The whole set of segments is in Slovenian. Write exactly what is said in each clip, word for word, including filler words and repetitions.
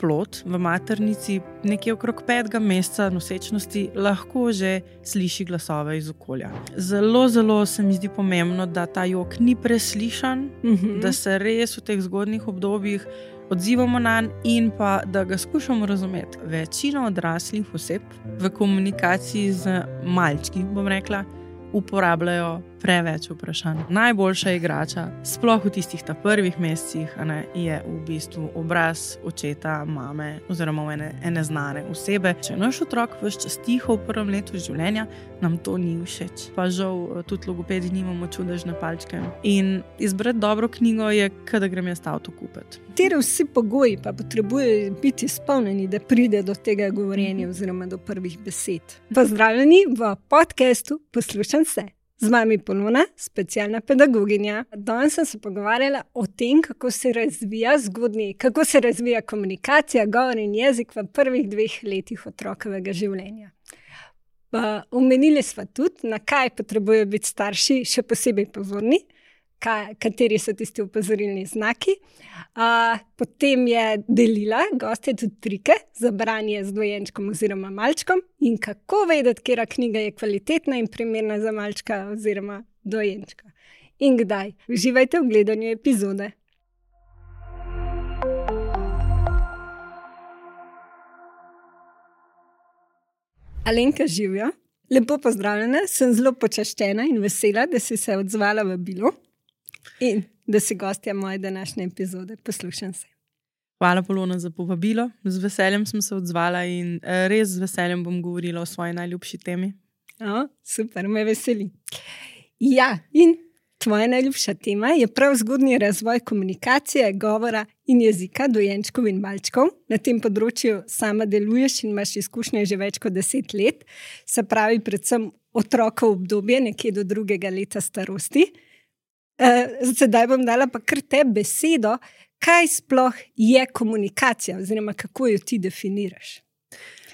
plod v maternici nekje okrog petega meseca nosečnosti lahko že sliši glasove iz okolja. Zelo, zelo se mi zdi pomembno, da ta jok ni preslišan, mm-hmm. da se res v teh zgodnjih obdobjih odzivamo nanj in pa da ga skušamo razumeti. Večina odraslih oseb v komunikaciji z malčki, bom rekla, uporabljajo preveč vprašanj. Najboljša igrača, sploh v tistih ta prvih mesecih, a ne, je v bistvu obraz očeta, mame oziroma ene, ene znane osebe. Če naš otrok ves čas tiho v prvem letu življenja, nam to ni všeč. Pa žal tudi logopedi nimamo čudežne palčke. In izbrati dobro knjigo je, kada grem jaz avto kupiti. Kateri vsi pogoji pa potrebujejo biti izpolnjeni, da pride do tega govorjenja oziroma do prvih besed. Pozdravljeni v podcastu Poslušam se. Z vami Polona, specialna pedagoginja. Danes sem se pogovarjala o tem, kako se razvija zgodnji, kako se razvija komunikacija, govor in jezik v prvih dveh letih otrokovega življenja. Pa omenili sva tudi, na kaj potrebujejo biti starši še posebej pozorni, kaj, kateri so tisti opozorilni znaki. A, potem je delila goste tudi trike za branje z dojenčkom oziroma malčkom in kako vedeti, katera knjiga je kvalitetna in primerna za malčka oziroma dojenčka. In kdaj? Uživajte v gledanju epizode. Alenka, živjo. Lepo pozdravljena, sem zelo počaščena in vesela, da si se odzvala v bilo. In da si gostja moje današnje epizode. Poslušam se. Hvala, Polona, za povabilo. Z veseljem sem se odzvala in res z veseljem bom govorila o svoji najljubši temi. O, super, me veseli. Ja, in tvoja najljubša tema je prav zgodnji razvoj komunikacije, govora in jezika dojenčkov in malčkov. Na tem področju sama deluješ in imaš izkušnje že več kot deset let. Se pravi, predvsem otrokov obdobje, nekje do drugega leta starosti. Uh, sedaj bom dala pa kar te besedo, kaj sploh je komunikacija oziroma kako jo ti definiraš?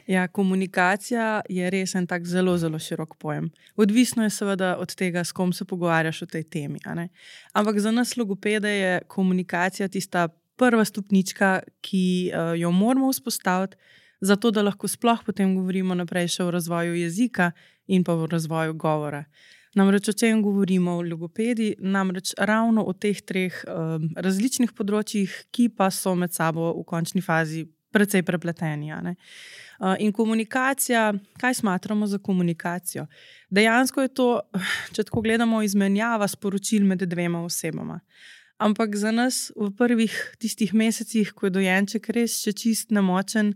Ja, komunikacija je res en tak zelo, zelo širok pojem. Odvisno je seveda od tega, s kom se pogovarjaš o tej temi. A ne? Ampak za nas logopede je komunikacija tista prva stopnička, ki uh, jo moramo vzpostaviti, zato da lahko sploh potem govorimo naprej še o razvoju jezika in pa o razvoju govora. Namreč o čem govorimo v logopedi, namreč ravno o teh treh um, različnih področjih, ki pa so med sabo v končni fazi precej prepleteni. A ne? Uh, in komunikacija, kaj smatramo za komunikacijo? Dejansko je to, če tako gledamo, izmenjava sporočil med dvema osebama. Ampak za nas v prvih tistih mesecih, ko je dojenček res še čist nemočen,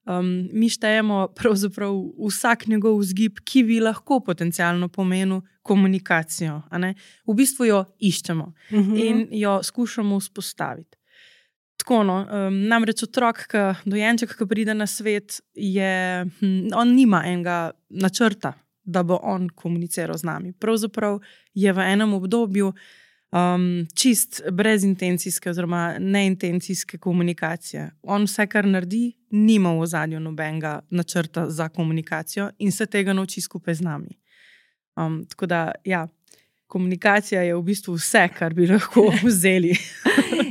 Um, mi štejemo pravzaprav vsak njegov vzgib, ki bi lahko potencialno pomenil komunikacijo. A ne? V bistvu jo iščemo uh-huh. in jo skušamo vzpostaviti. Tako no, um, namreč otrok, ka, dojenček, ki pride na svet, je, hm, on nima enega načrta, da bo on komuniciral z nami. Pravzaprav je v enem obdobju Um, čist brezintencijske oziroma neintencijske komunikacije. On vse, kar naredi, nima v ozadju nobenega načrta za komunikacijo in se tega nauči skupaj z nami. Um, tako da, ja, komunikacija je v bistvu vse, kar bi lahko vzeli.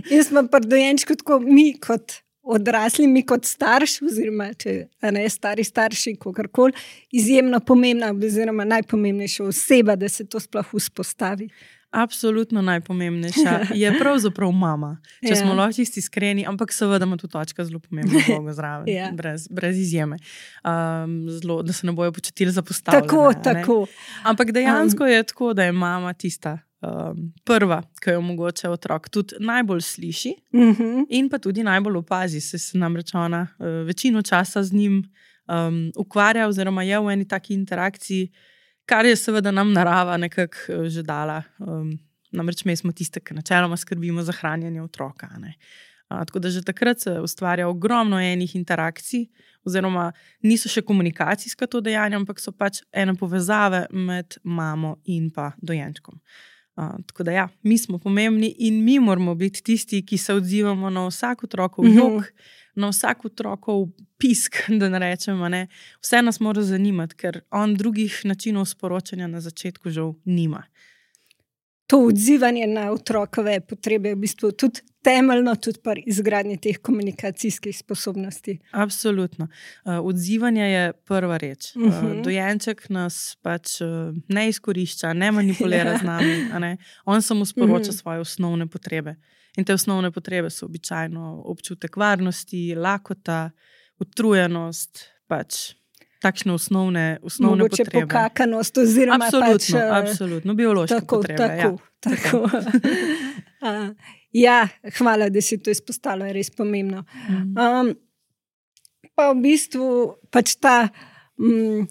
In smo pri dojenčku tako mi kot odrasli, mi kot starši, oziroma če ne stari starši, kakorkoli, izjemno pomembna oziroma najpomembnejša oseba, da se to sploh vzpostavi. Absolutno najpomembnejša je pravzaprav mama, če ja. Smo lahko čisti iskreni, ampak seveda ima tu točka zelo pomembno vlogo zraven, ja. brez, brez izjeme, um, zelo, da se ne bojo počutili zapostavljene. Tako, tako. Ampak dejansko um. je tako, da je mama tista um, prva, ki jo mogoče otrok tudi najbolj sliši uh-huh. in pa tudi najbolj opazi, se se namreč ona uh, večino časa z njim um, ukvarja oziroma je v eni taki interakciji, kar je seveda nam narava nekako že dala. Um, namreč mi smo tiste, ki načeloma skrbimo za hranjenje otroka. Ne? A, tako da že takrat se ustvarja ogromno enih interakcij, oziroma niso še komunikacijska to dejanja, ampak so pač ene povezave med mamo in pa dojenčkom. A, tako da ja, mi smo pomembni in mi moramo biti tisti, ki se odzivamo na vsak otrokov jok, mm-hmm. na vsak otrokov pisk, da ne rečemo, ne. Vse nas mora zanimati, ker on drugih načinov sporočanja na začetku žal nima. to odzivanje na otrokove potrebe je v bistvu tudi temeljno, tudi pri izgradnji teh komunikacijskih sposobnosti. Absolutno. Uh, odzivanje je prva reč. Uh, uh-huh. Dojenček nas pač uh, ne izkorišča, ne manipulira z nami. A ne? On samo sporoča uh-huh. svoje osnovne potrebe. In te osnovne potrebe so običajno občutek varnosti, lakota, utrujenost, pač takšne osnovne, osnovne Mogoče potrebe. Mogoče pokakanost oziroma absolutno, pač... Absolutno, biološke tako, potrebe. Tako, ja. tako. uh, ja, hvala, da si to izpostavila, je res pomembno. Um, pa v bistvu pač ta um,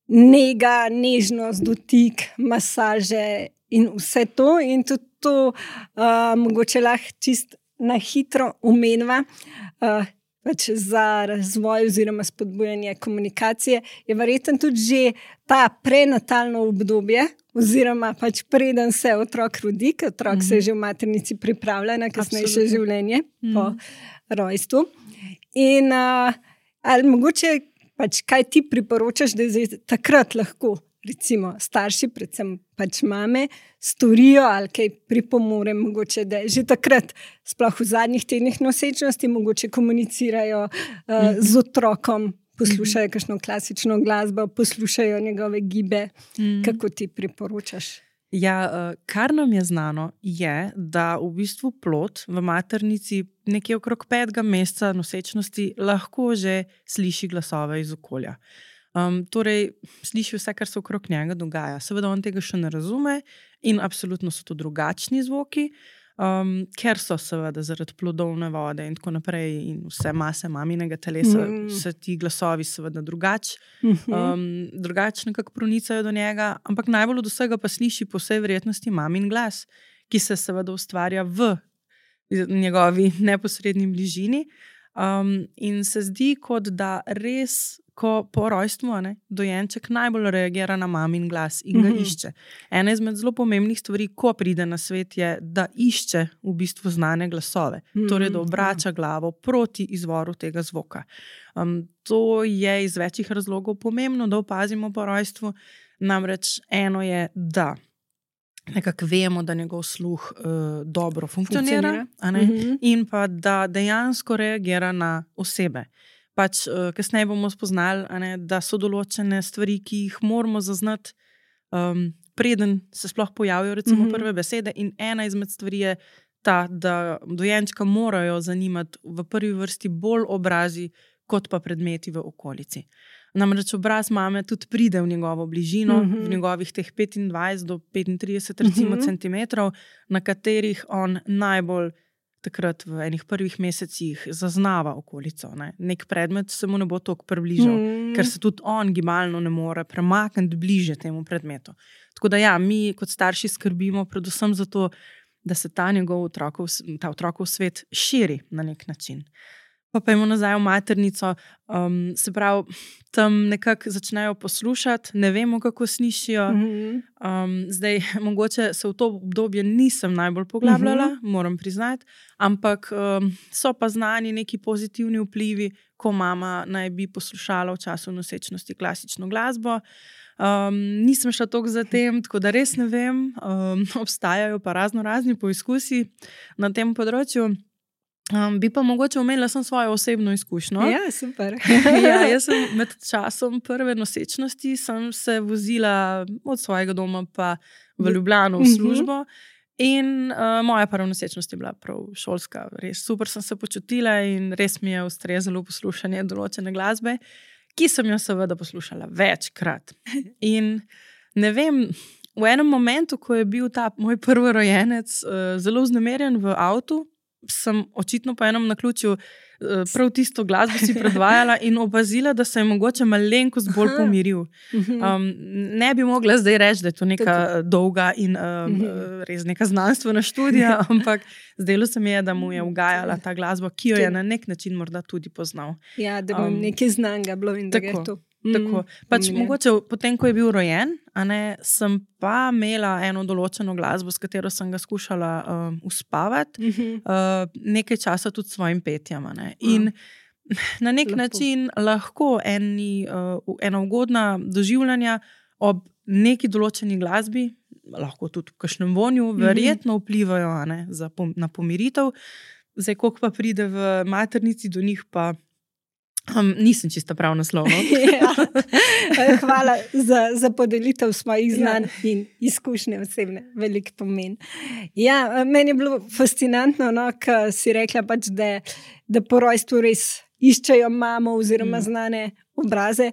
nega, nežnost, dotik, masaže in vse to in tudi to uh, mogoče lahko čist na hitro omenva, uh, pač za razvoj oziroma spodbujanje komunikacije, je verjetno tudi že ta prenatalno obdobje, oziroma pač preden se otrok rodi, ker otrok mm-hmm. se že v maternici pripravlja na kasnejše življenje mm-hmm. po rojstvu. In uh, ali mogoče pač kaj ti priporočaš, da je takrat lahko recimo starši, predvsem pač mame, storijo ali kaj pripomore, mogoče, da že takrat, sploh v zadnjih tednih nosečnosti, mogoče komunicirajo uh, z otrokom, poslušajo kakšno klasično glasbo, poslušajo njegove gibe. Mm. Kako ti priporočaš? Ja, kar nam je znano, je, da v bistvu plod v maternici nekje okrog petega meseca nosečnosti lahko že sliši glasove iz okolja. Um, torej, sliši vse, kar se okrog njega dogaja. Seveda on tega še ne razume in absolutno so to drugačni zvoki, um, ker so seveda zaradi plodovne vode in tako naprej in vse mase maminega telesa, mm. se ti glasovi seveda drugač, um, drugač nekako pronicajo do njega, ampak najbolj od vsega pa sliši po vsej verjetnosti mamin glas, ki se seveda ustvarja v njegovi neposredni bližini um, in se zdi, kot da res ko po rojstvu ne, dojenček najbolj reagira na mamin glas in ga mm-hmm. išče. Ena izmed zelo pomembnih stvari, ko pride na svet, je, da išče v bistvu znane glasove. Mm-hmm. Torej, da obrača glavo proti izvoru tega zvoka. Um, to je iz večjih razlogov pomembno, da opazimo po rojstvu. Namreč eno je, da nekako vemo, da njegov sluh uh, dobro funkcionira, funkcionira. Mm-hmm. in pa da dejansko reagira na osebe. Pač uh, kasneje bomo spoznali, ne, da so določene stvari, ki jih moramo zaznati, um, preden se sploh pojavijo recimo mm-hmm. prve besede. In ena izmed stvari je ta, da dojenčka morajo zanimati v prvi vrsti bolj obrazi, kot pa predmeti v okolici. Namreč obraz mame tudi pride v njegovo bližino, mm-hmm. v njegovih teh petindvajset do petintrideset recimo mm-hmm. centimetrov, na katerih on najbolj takrat v enih prvih mesecih zaznava okolico. Ne? Nek predmet se mu ne bo toliko približal, mm. ker se tudi on gibalno ne more premakniti bliže temu predmetu. Tako da ja, mi kot starši skrbimo predvsem za to, da se ta njegov otrokov, ta otrokov svet širi na nek način. Pa pa imamo nazaj v maternico, um, se pravi, tam nekako začnejo poslušati, ne vemo, kako slišijo. Mm-hmm. Um, zdaj, mogoče se v to obdobje nisem najbolj poglabljala, mm-hmm. moram priznati, ampak um, so pa znani neki pozitivni vplivi, ko mama naj bi poslušala v času nosečnosti klasično glasbo. Um, nisem šla toliko za tem, tako da res ne vem, um, obstajajo pa razno razni poizkusi na tem področju. Um, bi pa mogoče omenila sem svojo osebno izkušnjo. Ja, super. ja, jaz sem med časom prve nosečnosti sem se vozila od svojega doma pa v Ljubljano v službo in uh, moja prva nosečnost je bila prav šolska. Res super sem se počutila in res mi je ustrezalo poslušanje določene glasbe, ki sem jo seveda poslušala večkrat. In ne vem, v enem momentu, ko je bil ta moj prvorojenec uh, zelo vznemirjen v avtu, sem očitno po enem naključju prav tisto glasbo si predvajala in opazila, da se je mogoče malenkost bolj pomiril. Um, ne bi mogla zdaj reči, da je to neka dolga in um, res neka znanstvena študija, ampak zdelo se mi je, da mu je ugajala ta glasba, ki jo je na nek način morda tudi poznal. Ja, da bo um, nekaj znanga bilo in da tako, je to. Tako. Pač mogoče potem, ko je bil rojen, a ne, sem pa imela eno določeno glasbo, s katero sem ga skušala um, uspavati, uh-huh. uh, nekaj časa tudi s svojim petjem. In uh-huh. na nek Lepo. način lahko eni, uh, ena ugodna doživljanja ob neki določeni glasbi, lahko tudi v kakšnem vonju, verjetno vplivajo a ne, za, na pomiritev. Zdaj, koliko pa pride v maternici do njih, pa um, nisem čisto prav naslovno. Ja. Hvala za, za podelitev svojih znanj ja. in izkušnje osebne, velik pomen. Ja, meni je bilo fascinantno, no, ko si rekla, pač, da, da po rojstvu res iščejo mamo oziroma mm. znane obraze.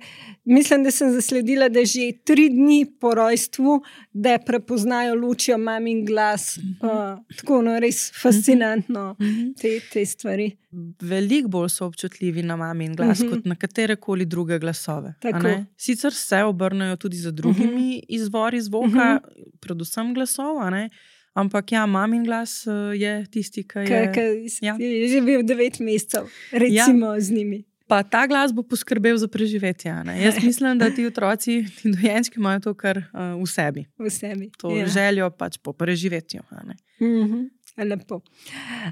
Mislim, da sem zasledila, da že tri dni po rojstvu, da prepoznajo lučijo mamin glas. Mm-hmm. Uh, tako, no, res fascinantno mm-hmm. te, te stvari. Veliko bolj so občutljivi na mamin glas, mm-hmm. kot na katerekoli druge glasove. Sicer se obrnejo tudi za drugimi mm-hmm. izvori zvoka, mm-hmm. predvsem glasov, a ne? Ampak ja, mamin glas je tisti, ki je... Ki ja. je živel devet mesecev, recimo ja. z njimi. Pa ta glas bo poskrbel za preživetje. Ne? Jaz mislim, da ti otroci, ti dojenčki imajo to kar uh, v sebi. V sebi, To ja. željo pač po preživetju. Ne? Mm-hmm. Lepo.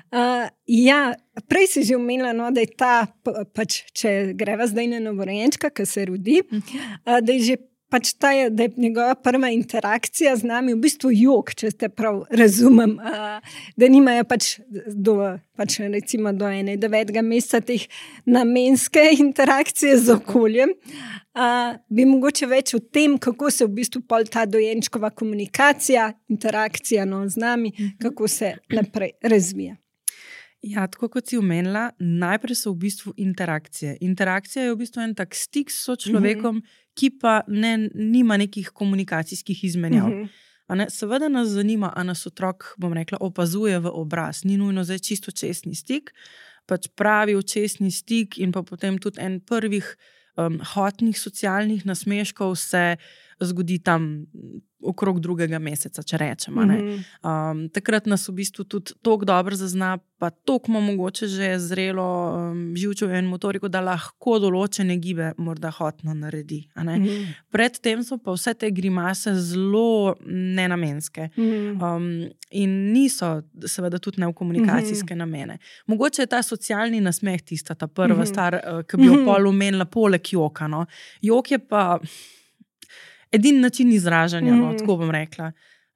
Uh, ja, prej si že omenila, no, da je ta, pač, če greva zdaj na novorojenčka, ki se rodi, uh, da je že Pač ta je, da je njegova prva interakcija z nami v bistvu jok, če te prav razumem, da nimajo pač do, pač recimo do ene devetega meseca teh namenske interakcije z okoljem. Bi mogoče več o tem, kako se v bistvu pol ta dojenčkova komunikacija, interakcija no, z nami, kako se naprej razvija. Ja, tako kot si omenila, najprej so v bistvu interakcije. Interakcija je v bistvu en tak stik s človekom, mm-hmm. ki pa ne, nima nekih komunikacijskih izmenjav. Mm-hmm. Ne, seveda nas zanima, a nas otrok, bom rekla, opazuje v obraz. Ni nujno zdaj čisto očesni stik, pač pravi očesni stik in pa potem tudi en prvih um, hotnih socialnih nasmeškov se zgodi tam okrog drugega meseca, če rečemo. Mm-hmm. Um, takrat nas v bistvu tudi toliko dobro zazna, pa toliko ima mogoče že zrelo um, živčev in motoriko, da lahko določene gibe morda hotno naredi. A ne? Mm-hmm. Predtem so pa vse te grimase zelo nenamenske. Mm-hmm. Um, in niso seveda tudi ne v komunikacijske mm-hmm. namene. Mogoče je ta socialni nasmeh tista, ta prva mm-hmm. stvar, uh, ki bi jo mm-hmm. pol omenila poleg joka. No? Jok je pa edini način izražanja, no, tako bom rekla.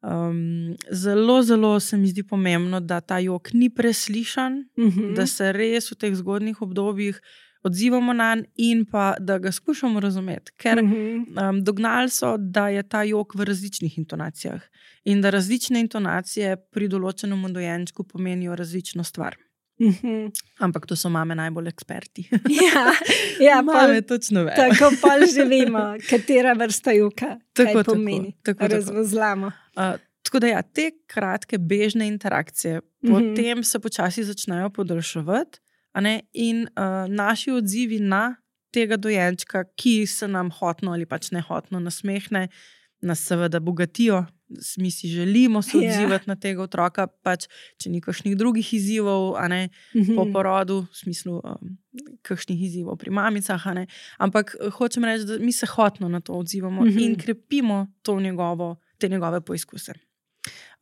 Um, zelo, zelo se mi zdi pomembno, da ta jok ni preslišan, mm-hmm. da se res v teh zgodnjih obdobjih odzivamo nanj in pa da ga skušamo razumeti. Ker mm-hmm. um, dognali so, da je ta jok v različnih intonacijah in da različne intonacije pri določenem dojenčku pomenijo različno stvar. Mm-hmm. Ampak to so mame najbolj eksperti. Ja, ja mame pol, točno ve. Tako pa že vemo, katera vrsta joka tako, kaj pomeni. Tako, tako, razvozlamo. Uh, tako da ja, te kratke bežne interakcije mm-hmm. potem se počasi začnejo podaljševati, a ne, in uh, naši odzivi na tega dojenčka, ki se nam hotno ali pač nehotno nasmehne, nas seveda bogatijo. Mi si želimo se odzivati yeah. na tega otroka, pač, če ni kakšnih drugih izzivov, a ne, mm-hmm. po porodu, v smislu um, kakšnih izzivov pri mamicah, a ne, ampak hočem reči, da mi se hotno na to odzivamo mm-hmm. in krepimo to njegovo, te njegove poizkuse.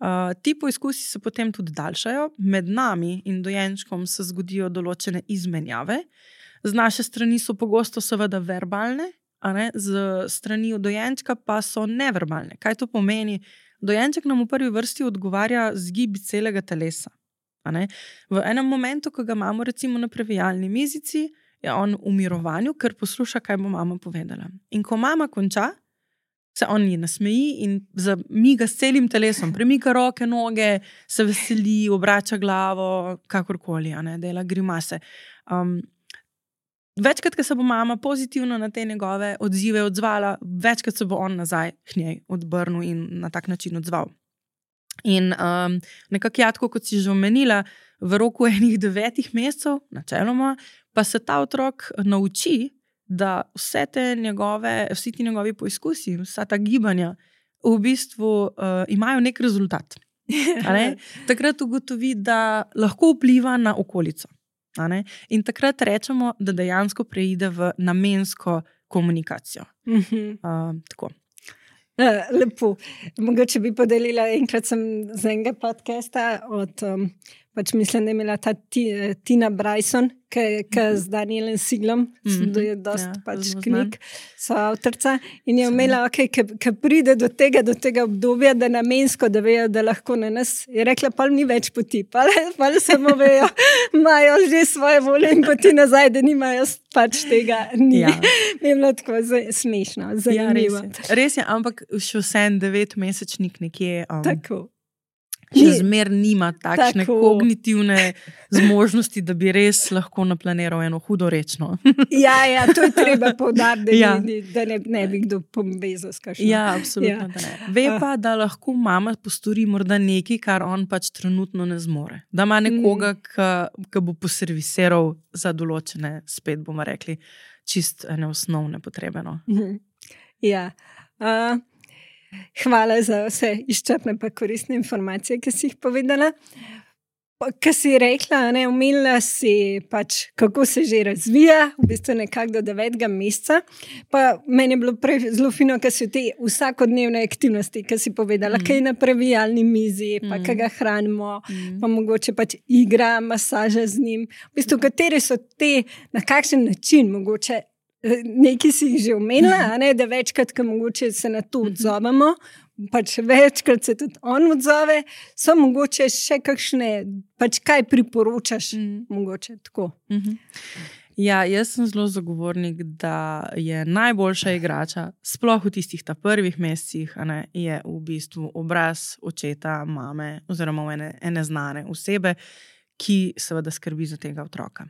Uh, ti poizkusi se potem tudi daljšajo, med nami in dojenčkom se zgodijo določene izmenjave, z naše strani so pogosto seveda verbalne, a ne, z strani dojenčka pa so neverbalne. Kaj to pomeni? Dojenček nam v prvi vrsti odgovarja z gibi celega telesa. A ne? V enem momentu, ko ga imamo recimo na previjalni mizici, je on v mirovanju, ker posluša, kaj bo mama povedala. In ko mama konča, se on ji nasmeji in zamiga s celim telesom, premika roke, noge, se veseli, obrača glavo, kakorkoli, a ne, dela grimase. Um, Večkrat, ko se bo mama pozitivno na te njegove odzive odzvala, večkrat se bo on nazaj k njej odbrnil in na tak način odzval. In um, nekako jatko, kot si že omenila, v roku enih devetih mesecev, načeloma, pa se ta otrok nauči, da vse te njegove, vsi ti njegovi poizkusi, vsa ta gibanja v bistvu uh, imajo nek rezultat. Ne? Takrat ugotovi, da lahko vpliva na okolico. In takrat rečemo, da dejansko preide v namensko komunikacijo. Mm-hmm. Uh, tako. Lepo. Mogoče bi podelila, enkrat sem z enega podcasta od um, pač mislim, da je imela ta Tina Bryson, ki z Danielem Siglom, mm-hmm. da je dost ja, pač knjig, so avtorca in je imela, okay, ki pride do tega, do tega obdobja, da namensko, da vejo, da lahko na nas, je rekla, pa ni več poti, pa, pa samo vejo, imajo že svoje volje in poti nazaj, da nimajo pač tega. Ni. Ja. Je bilo tako smešno, zanimivo. Ja, res je, res je, ampak še vsem devetmesečnik nekje. Um, tako. Še zmer nima takšne tako. Kognitivne zmožnosti, da bi res lahko naplaniral eno hudo rečno. Ja, ja, to je treba poudariti, da, ja. da ne, ne bi kdo povezal s kakšno. Ja, absolutno, ja. Da ne. Ve pa, da lahko mama postori morda nekaj, kar on pač trenutno ne zmore. Da ima nekoga, mm. ki bo poservisiral za določene, spet bomo rekli, čist neosnovne potrebe. No. Mm. Ja, uh, hvala za vse izčrpne pa koristne informacije, ki si jih povedala. Ki si rekla, ne, umela si pač, kako se že razvija, v bistvu nekako do devetega meseca. Pa meni je bilo prej zelo fino, ki si v te vsakodnevne aktivnosti, ki si povedala, mm. kaj je na previjalni mizi, pa mm. kaj ga hranimo, mm. pa mogoče pač igra, masaža z njim. V bistvu, kateri so te, na kakšen način mogoče nekaj si jih že omenila, ne, da večkrat, ko mogoče se na to odzovemo, pač večkrat se tudi on odzove, so mogoče še kakšne, pač kaj priporočaš, mm. mogoče tako. Mm-hmm. Ja, jaz sem zelo zagovornik, da je najboljša igrača, sploh v tistih ta prvih mesecih, a ne, je v bistvu obraz očeta, mame oziroma ene, ene znane osebe, ki seveda skrbi za tega otroka.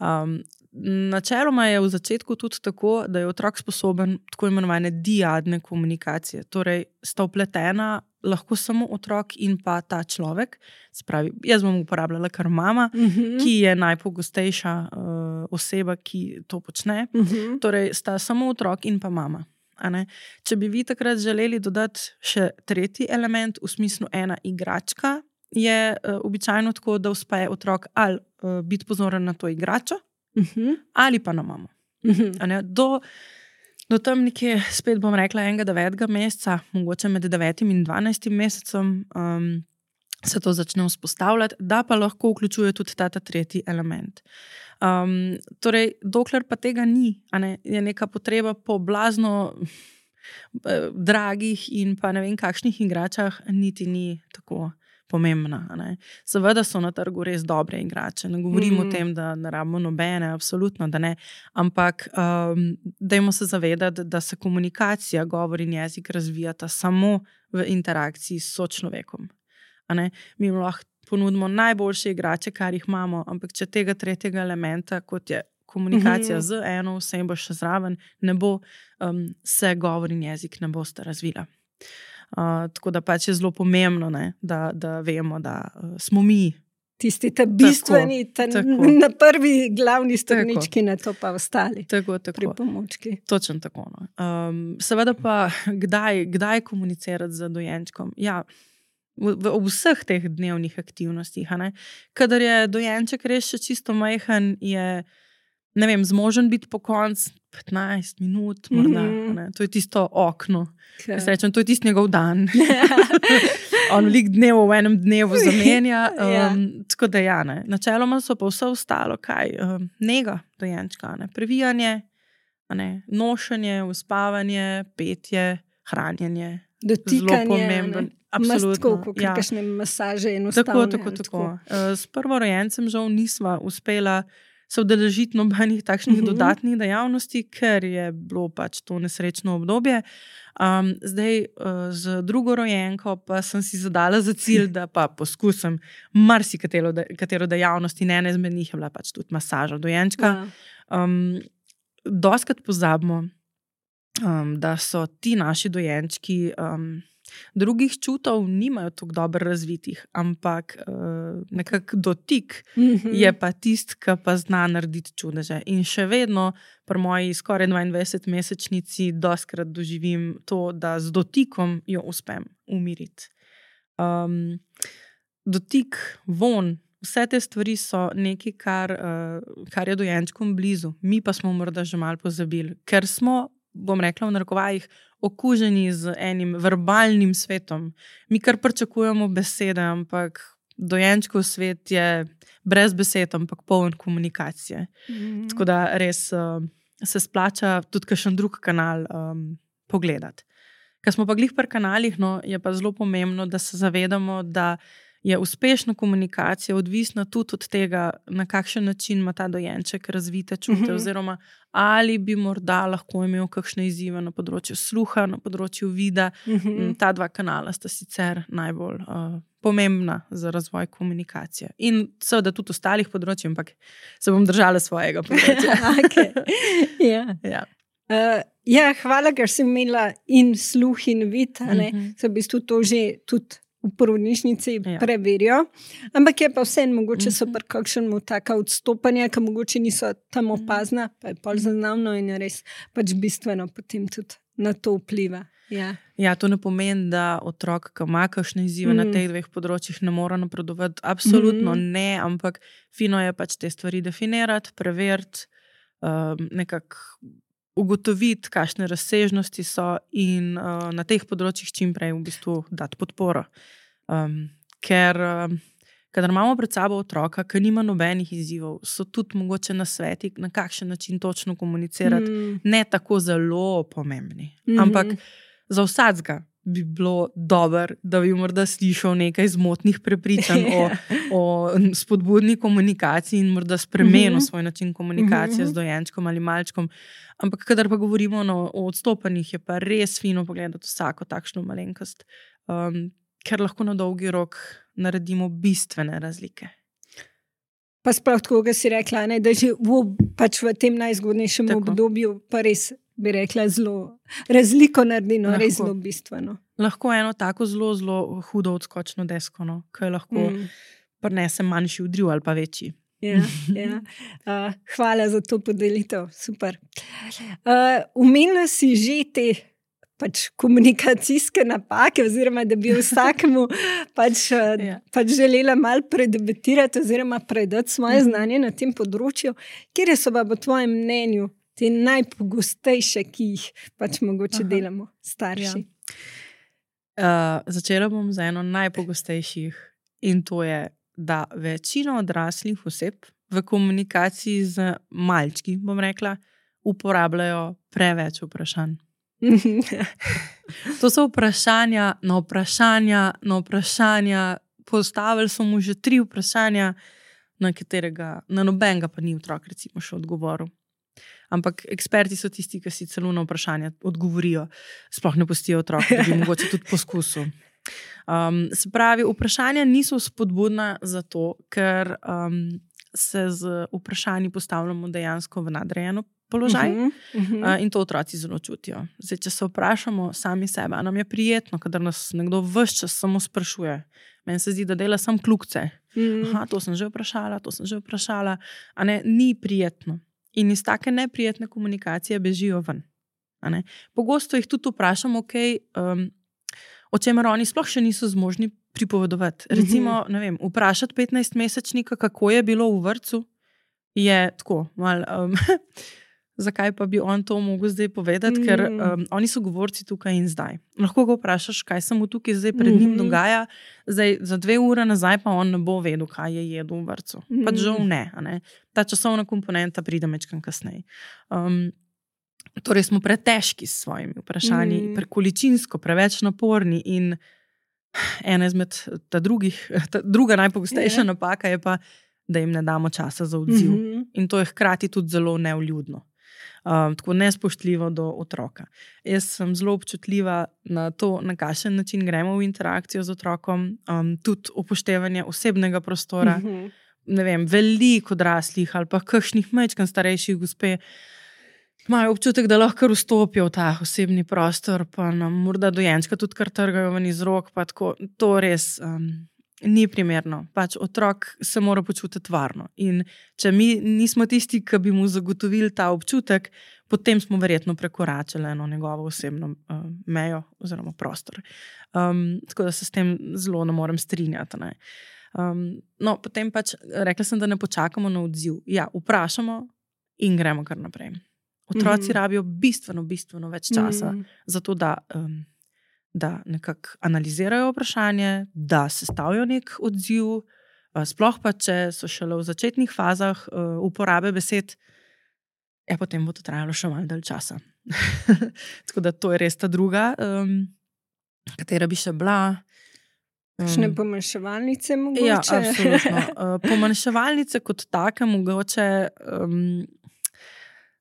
Um, Načeloma je v začetku tudi tako, da je otrok sposoben tako imenovane diadne komunikacije. Torej, sta vpletena lahko samo otrok in pa ta človek. Spravi, jaz bom uporabljala kar mama, uh-huh. ki je najpogostejša uh, oseba, ki to počne. Uh-huh. Torej, sta samo otrok in pa mama. A ne? Če bi vi takrat želeli dodati še tretji element, v smislu ena igračka, je uh, običajno tako, da uspe otrok ali uh, biti pozoren na to igračo, Uh-huh. ali pa na mamo. Uh-huh. Do, do tam nekje, spet bom rekla, enega devetega meseca, mogoče med devetim in dvanajstim mesecem, um, se to začne vzpostavljati, da pa lahko vključuje tudi ta, ta tretji element. Um, torej, dokler pa tega ni, a ne, je neka potreba po blazno eh, dragih in pa ne vem kakšnih igračah, niti ni tako pomembna. Ne. Seveda so na trgu res dobre igrače. Ne govorim mm. o tem, da ne rabimo nobene, absolutno, da ne. Ampak um, dajmo se zavedati, da se komunikacija, govor in jezik razvijata samo v interakciji s sočlovekom. A ne. Mi lahko ponudimo najboljše igrače, kar jih imamo, ampak če tega tretjega elementa, kot je komunikacija mm-hmm. z eno osebo še zraven, ne bo, um, se govor in jezik ne bosta razvila. Uh, tako da pač je zelo pomembno, ne, da, da vemo, da uh, smo mi tisti ta bistveni, ta na prvi glavni stopnički, na to pa ostali tako, tako. pripomočki. Točno tako. No. Um, seveda pa, kdaj, kdaj komunicirati z dojenčkom? Ja, v, v, v vseh teh dnevnih aktivnostih. A ne? Kadar je dojenček res še čisto majhen, je ne vem, zmožen biti po koncu petnajst minut, morda. Mm-hmm. To je tisto okno. Okay. Jaz rečem, to je tisti njegov dan. On velik dnev v enem dnevu zamenja. Um, yeah. Tako da ja, ne. Načeloma so pa vse ostalo, kaj? Um, nega dojenčka, ne. Previjanje, ne. Nošenje, uspavanje, petje, hranjenje. Dotikanje, zelo pomemben. Absolutno. Mastko, kakšne ja. masaže enostavne. Tako, tako, tako. tako. S prvorojencem žal nisva uspela se udeležiti nobenih takšnih uh-huh. dodatnih dejavnosti, ker je bilo pač to nesrečno obdobje. Um, zdaj, uh, z drugorojenko pa sem si zadala za cilj, da pa poskusim marsikatero de, katero dejavnosti, ne ena izmed njih je bila pač tudi masaža dojenčka. Um, doskrat pozabimo, um, da so ti naši dojenčki um, drugih čutov nimajo tako dobro razvitih, ampak uh, nekak dotik mm-hmm. je pa tist, ki pa zna narediti čudeže. In še vedno pri moji skoraj dvaindvajsetmesečnici doskrat doživim to, da z dotikom jo uspem umiriti. Um, dotik, von, vse te stvari so nekaj, kar, uh, kar je dojenčkom blizu. Mi pa smo morda že malo pozabili, ker smo, bom rekla v narekovajih, okuženi z enim verbalnim svetom. Mi kar pričakujemo besede, ampak dojenčkov svet je brez besed, ampak poln komunikacije. Mm. Tako da res uh, se splača tudi kakšen drug kanal um, pogledati. Ker smo pa glih pri kanalih, no, je pa zelo pomembno, da se zavedamo, da je uspešna komunikacija odvisna tudi od tega, na kakšen način ima ta dojenček razvite čute, mm-hmm. oziroma ali bi morda lahko imel kakšne izzive na področju sluha, na področju vida. Mm-hmm. Ta dva kanala sta sicer najbolj uh, pomembna za razvoj komunikacije. In seveda tudi ostalih področij, ampak se bom držala svojega področja. okay. ja. Ja. Uh, ja, hvala, ker si imela in sluh in vid, mm-hmm. se v bistvu to že tudi v porodnišnici ja. preverijo, ampak je pa vseeno mogoče so pri kakšnemu taka odstopanja, ki mogoče niso tam opazna, pa je pol zaznavno in je res pač bistveno potem tudi na to vpliva. Ja, ja to ne pomeni, da otrok, ki ima kakšne izzive mm. na teh dveh področjih, ne mora napredovati. Absolutno mm. ne, ampak fino je pač te stvari definirati, preveriti, um, nekako ugotoviti, kakšne razsežnosti so in uh, na teh področjih čim prej v bistvu dati podporo. Um, ker, um, kadar imamo pred sabo otroka, ki nima nobenih izzivov, so tudi mogoče nasveti, na kakšen način točno komunicirati, mm. ne tako zelo pomembni. Mm-hmm. Ampak za vsakega bi bilo dobro, da bi morda slišal nekaj zmotnih prepričanj o, o spodbudni komunikaciji in morda spremenil mm-hmm. svoj način komunikacije mm-hmm. z dojenčkom ali malčkom. Ampak kadar pa govorimo no, o odstopanjih, je pa res fino pogledati vsako takšno malenkost, um, ker lahko na dolgi rok naredimo bistvene razlike. Pa sprav tako, ga si rekla, ne, da že v, pač v tem najzgodnejšem tako. obdobju pa res bi rekla zelo razliko naredi, no, res zelo bistveno. Lahko eno tako zelo, zelo hudo odskočno desko, no, ki lahko mm. prinese manjši udriv ali pa večji. Ja, ja. Uh, hvala za to podelitev, super. Uh, Umela si že te pač komunikacijske napake, oziroma da bi vsakemu pač, ja. pač želela malo predebatirati oziroma predati svoje znanje na tem področju. Kjer so pa po tvojem mnenju te najpogostejše, ki jih pač mogoče Aha. delamo starši? Ja. Uh, začela bom z eno najpogostejših in to je, da večina odraslih oseb v komunikaciji z malčki, bom rekla, uporabljajo preveč vprašanj. To so vprašanja na vprašanja na vprašanja. Postavili so mu že tri vprašanja, na katerega, na nobenega pa ni otrok recimo še odgovoril. Ampak eksperti so tisti, ki si celo na vprašanja odgovorijo, sploh ne pustijo otroka, da bi mogoče tudi poskusil. Um, se pravi, vprašanja niso spodbudna zato, ker um, se z vprašanji postavljamo dejansko v nadrejeno položaj uh-huh, uh-huh. Uh, in to otroci zelo čutijo. Zdaj, če se vprašamo sami sebe, a nam je prijetno, kadar nas nekdo ves čas samo sprašuje. Meni se zdi, da dela sam kljukce. Uh-huh. Aha, to sem že vprašala, to sem že vprašala. A ne, ni prijetno. In iz take neprijetne komunikacije bežijo ven. A ne? Pogosto jih tudi vprašamo, okay, um, o čemer oni sploh še niso zmožni pripovedovati. Recimo, uh-huh. ne vem, vprašati petnajstmesečnika, kako je bilo v vrtcu, je tako, malo, um, zakaj pa bi on to mogel zdaj povedati, uh-huh. ker um, oni so govorci tukaj in zdaj. Lahko ga vprašaš, kaj se mu tukaj zdaj pred njim uh-huh. dogaja, zdaj za dve ure nazaj pa on ne bo vedel, kaj je jedel v vrtcu. Uh-huh. Pač žal ne, a ne. Ta časovna komponenta pride mečkam kasneje. Um, torej smo pretežki s svojimi vprašanji, mm. prekoličinsko, preveč naporni in ena izmed ta drugih, ta druga najpogostejša yeah. napaka je pa, da jim ne damo časa za odziv. Mm-hmm. In to je hkrati tudi zelo nevljudno. Um, tako nespoštljivo do otroka. Jaz sem zelo občutljiva na to, na kakšen način gremo v interakcijo z otrokom, um, tudi upoštevanje osebnega prostora. Mm-hmm. Ne vem, veliko odraslih ali pa kakšnih majčkan starejših gospe imajo občutek, da lahko vstopijo v ta osebni prostor, pa nam morda dojenčka tudi kar trgajo ven iz rok, pa tako, to res um, ni primerno. Pač otrok se mora počutiti varno. In če mi nismo tisti, ki bi mu zagotovili ta občutek, potem smo verjetno prekoračili eno njegovo osebno uh, mejo oziroma prostor. Um, tako da se s tem zelo ne morem strinjati. Ne? Um, no, potem pač rekla sem, da ne počakamo na odziv. Ja, vprašamo in gremo kar naprej. Otroci mm. rabijo bistveno, bistveno več časa mm. za to, da um, da nekako analizirajo vprašanje, da sestavijo nek odziv, sploh pa, če so šele v začetnih fazah uporabe besed, ja, potem bo to trajalo še malo dalj časa. Tako da to je res ta druga, um, katera bi še bila. Kakšne um, pomanjševalnice mogoče? Ja, absolutno. Uh, pomanjševalnice kot take mogoče, um,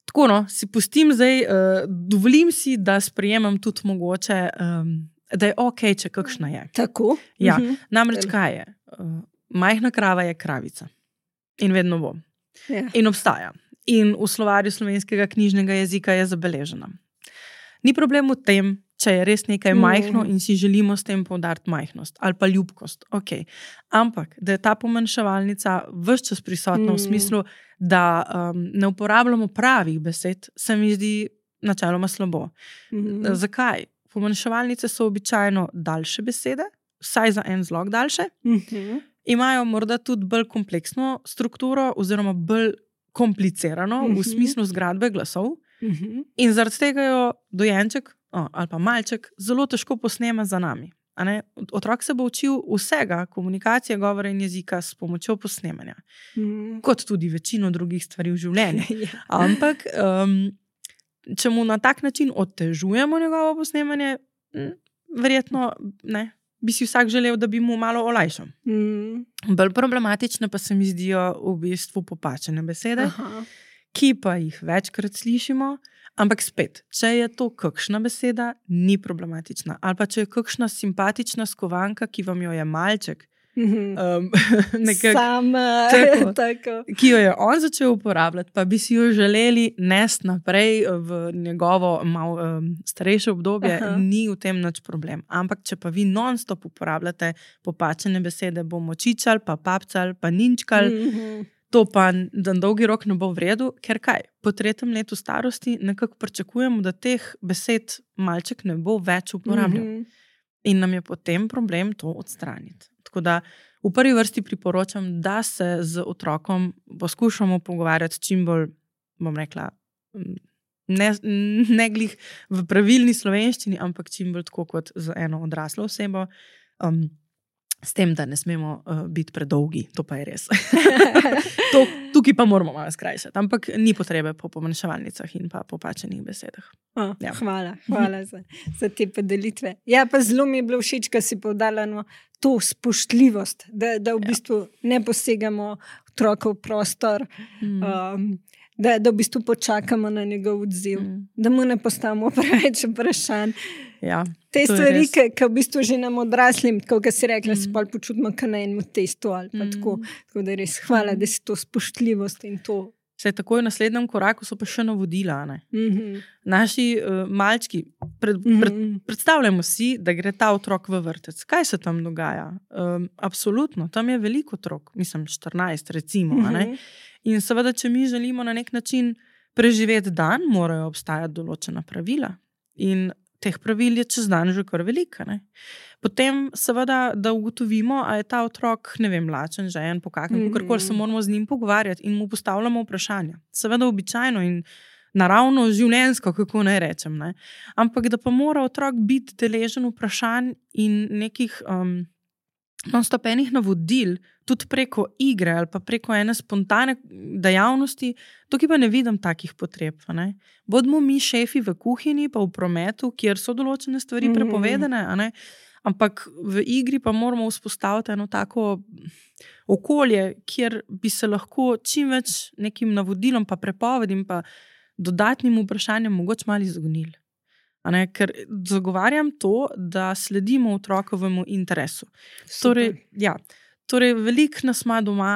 tako no, si pustim zdaj, uh, dovolim si, da sprejemam tudi mogoče, um, da je ok, če kakšna je. Tako? Ja, uh-huh. Namreč kaj je? Uh, majhna krava je kravica. In vedno bo. Ja. In obstaja. In v slovarju slovenskega knjižnega jezika je zabeležena. Ni problem v tem, če je res nekaj majhno in si želimo s tem poudariti majhnost ali pa ljubkost. Okay. Ampak, da je ta pomanjševalnica ves čas prisotna mm. v smislu, da um, ne uporabljamo pravih besed, se mi zdi načeloma slabo. Mm. Zakaj? Pomanjševalnice so običajno daljše besede, vsaj za en zlog daljše, mm-hmm. imajo morda tudi bolj kompleksno strukturo oziroma bolj komplicirano mm-hmm. v smislu zgradbe glasov mm-hmm. in zaradi tega jo dojenček O, ali pa malček, zelo težko posnema za nami. A ne? Otrok se bo učil vsega, komunikacije, govora in jezika s pomočjo posnemanja. Mm. Kot tudi večino drugih stvari v življenju. Ampak, um, če mu na tak način otežujemo njegovo posnemanje, m, verjetno ne, bi si vsak želel, da bi mu malo olajšal. Mm. Bolj problematične pa se mi zdijo v bistvu popačene besede, Aha. ki pa jih večkrat slišimo. Ampak spet, če je to kakšna beseda, ni problematična. Ali pa če je kakšna simpatična skovanka, ki vam jo je malček, mm-hmm. um, nekak, Sama, tako, tako. ki jo je on začel uporabljati, pa bi si jo želeli nesti naprej v njegovo malo um, starejše obdobje, Aha. ni v tem nič problem. Ampak, če pa vi non-stop uporabljate popačene besede, bomo čičali, pa papcali, pa ninčkali, mm-hmm. to pa na dolgi rok ne bo v redu, ker kaj? Po tretjem letu starosti nekako pričakujemo, da teh besed malček ne bo več uporabljal. Mm-hmm. In nam je potem problem to odstraniti. Tako da v prvi vrsti priporočam, da se z otrokom poskušamo pogovarjati čim bolj, bom rekla, ne, ne glih v pravilni slovenščini, ampak čim bolj tako kot z eno odraslo osebo. Um, S tem, da ne smemo uh, biti predolgi, to pa je res. to, tukaj pa moramo malo skrajšati, ampak ni potrebe po pomanjševalnicah in pa popačenih besedah. Oh, ja. Hvala, hvala za, za te podelitve. Ja, pa zelo mi je bilo všeč, ko si poudarila no, to spoštljivost, da, da v bistvu ja. ne posegamo otrokov prostor, mm. um, da, da v bistvu počakamo na njegov odziv, mm. da mu ne postavimo preveč vprašanj. Ja, te stvari, ki v bistvu že nam odraslim, kot si rekla, mm. se pa počutimo kot na enem testu ali pa mm. tako. Tako da res hvala, mm. da si to spoštljivost in to. Se takoj v naslednjem koraku so pa še navodila. Ne? Mm-hmm. Naši uh, malčki, pred, pred, mm-hmm. predstavljamo si, da gre ta otrok v vrtec. Kaj se tam dogaja? Um, absolutno, tam je veliko otrok, mislim štirinajst recimo. Mm-hmm. A ne? In seveda, če mi želimo na nek način preživeti dan, morajo obstajati določena pravila. In teh pravil je čez dan že kar velika. Ne? Potem seveda, da ugotovimo, a je ta otrok, ne vem, lačen, žejen, pokakan, mm-hmm. kakorkoli se moramo z njim pogovarjati in mu postavljamo vprašanja. Seveda običajno in naravno življenjsko, kako naj rečem. Ne? Ampak da pa mora otrok biti deležen vprašanj in nekih um, non-stopenih navodil, tudi preko igre ali pa preko ene spontane dejavnosti, tukaj pa ne vidim takih potreb. Ne? Bodimo mi šefi v kuhinji, pa v prometu, kjer so določene stvari prepovedane, a ne? Ampak v igri pa moramo vzpostaviti eno tako okolje, kjer bi se lahko čim več nekim navodilom, pa prepovedim, pa dodatnim vprašanjem mogoče malo izognili. Ne, ker zagovarjam to, da sledimo otrokovemu interesu. Torej, ja, torej, veliko nas ima doma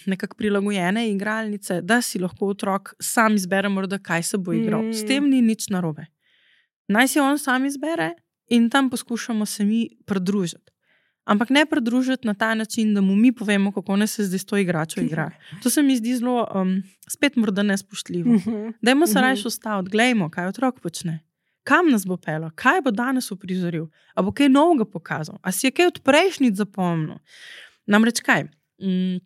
nekako prilagojene igralnice, da si lahko otrok sam izbere, morda kaj se bo igral. Mm. S tem ni nič narobe. Naj si on sam izbere in tam poskušamo se mi pridružiti. Ampak ne pridružiti na ta način, da mu mi povemo, kako ne se zdaj s to igračo igra. To se mi zdi zelo um, spet morda nespoštljivo. Mm-hmm. Dajmo se mm-hmm. rajš ustaviti, glejmo, kaj otrok počne. Kam nas bo pelo? Kaj bo danes uprizoril? A bo kaj novega pokazal? A si je kaj od prejšnjic zapomnil? Namreč kaj? Mm,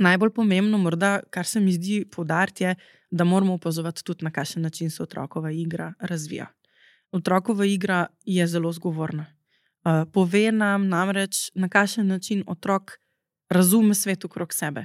najbolj pomembno morda, kar se mi zdi poudariti je, da moramo opazovati tudi na kakšen način se otrokova igra razvija. Otrokova igra je zelo zgovorna. Uh, pove nam namreč, na kakšen način otrok razume svet okrog sebe.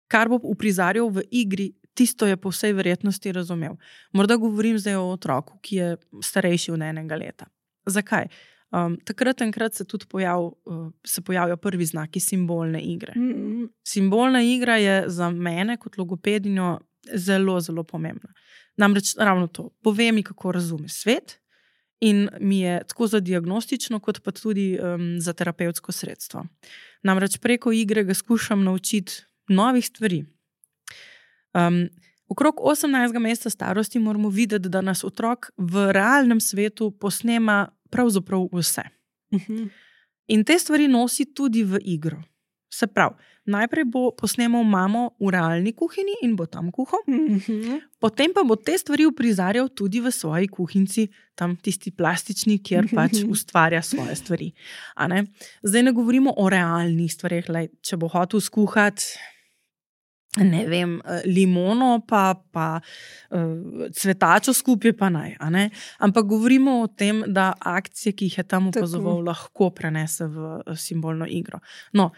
Kar bo uprizarjal v igri, tisto je po vsej verjetnosti razumel. Morda govorim zdaj o otroku, ki je starejši od enega leta. Zakaj? Um, takrat enkrat se tudi pojav, uh, se pojavijo prvi znaki simbolne igre. Mm-hmm. Simbolna igra je za mene kot logopedinjo zelo, zelo pomembna. Namreč ravno to, pove mi, kako razume svet in mi je tako za diagnostično, kot pa tudi um, za terapevtsko sredstvo. Namreč preko igre ga skušam naučiti novih stvari. Um, okrog osemnajstega meseca starosti moramo videti, da nas otrok v realnem svetu posnema pravzaprav vse. Uh-huh. In te stvari nosi tudi v igro. Se pravi, najprej bo posnemal mamo v realni kuhinji in bo tam kuhal, uh-huh. Potem pa bo te stvari uprizarjal tudi v svoji kuhinci, tam tisti plastični, kjer pač ustvarja svoje stvari. A ne? Zdaj ne govorimo o realnih stvarih, lej, če bo hotel skuhati, ne vem, limono pa, pa uh, cvetačo skupaj pa naj, a ne? Ampak govorimo o tem, da akcije, ki jih je tam opazoval, lahko prenese v simbolno igro. No,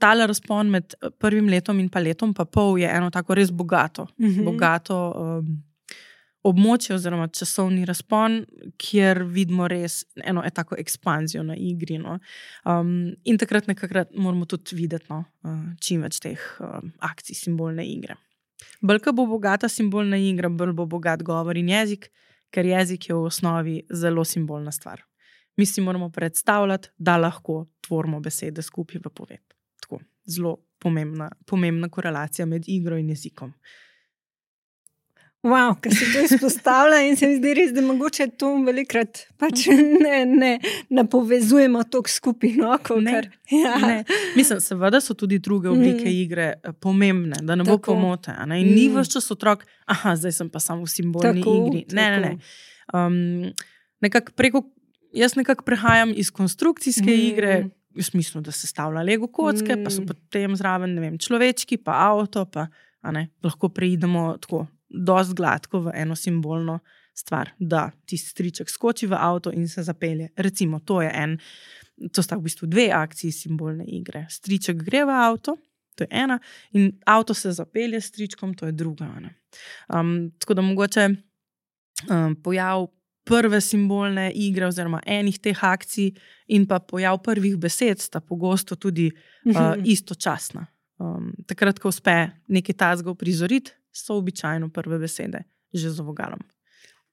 tale razpon med prvim letom in pa letom pa pol je eno tako res bogato, mm-hmm. bogato um, območje oziroma časovni razpon, kjer vidimo res eno tako ekspanzijo na igri. No? Um, in takrat nekakrat moramo tudi videti no, čim več teh um, akcij simbolne igre. Bolj ko bo bogata simbolna igra, bolj bo bogat govor in jezik, ker jezik je v osnovi zelo simbolna stvar. Mi si moramo predstavljati, da lahko tvorimo besede skupaj v poved. Tako, zelo pomembna, pomembna korelacija med igro in jezikom. Wow, kaj se to izpostavlja in se mi zdi res, da mogoče to velikrat pač ne, ne, ne povezujemo toliko skupaj. No, ne, ja. ne. Mislim, seveda so tudi druge oblike mm. igre pomembne, da ne bo tako. Pomote. Ne? In mm. ni ves čas otrok, aha, zdaj sem pa samo v simbolni tako, igri. Ne, ne, ne. Um, nekak preko, jaz nekako prehajam iz konstrukcijske mm. igre, v smislu, da se stavlja Lego kocke, mm. pa so potem zraven, ne vem, človečki, pa avto, pa a ne, lahko preidemo tako dosti gladko v eno simbolno stvar, da tisti striček skoči v avto in se zapelje. Recimo, to je en, to sta v bistvu dve akciji simbolne igre. Striček gre v avto, to je ena, in avto se zapelje s stričkom, to je druga. Um, tako da mogoče um, pojav prve simbolne igre oziroma enih teh akcij in pa pojav prvih besed sta pogosto tudi uh, istočasna. Um, takrat, ko uspe nekaj tazga prizoriti, so običajno prve besede že z vogalom.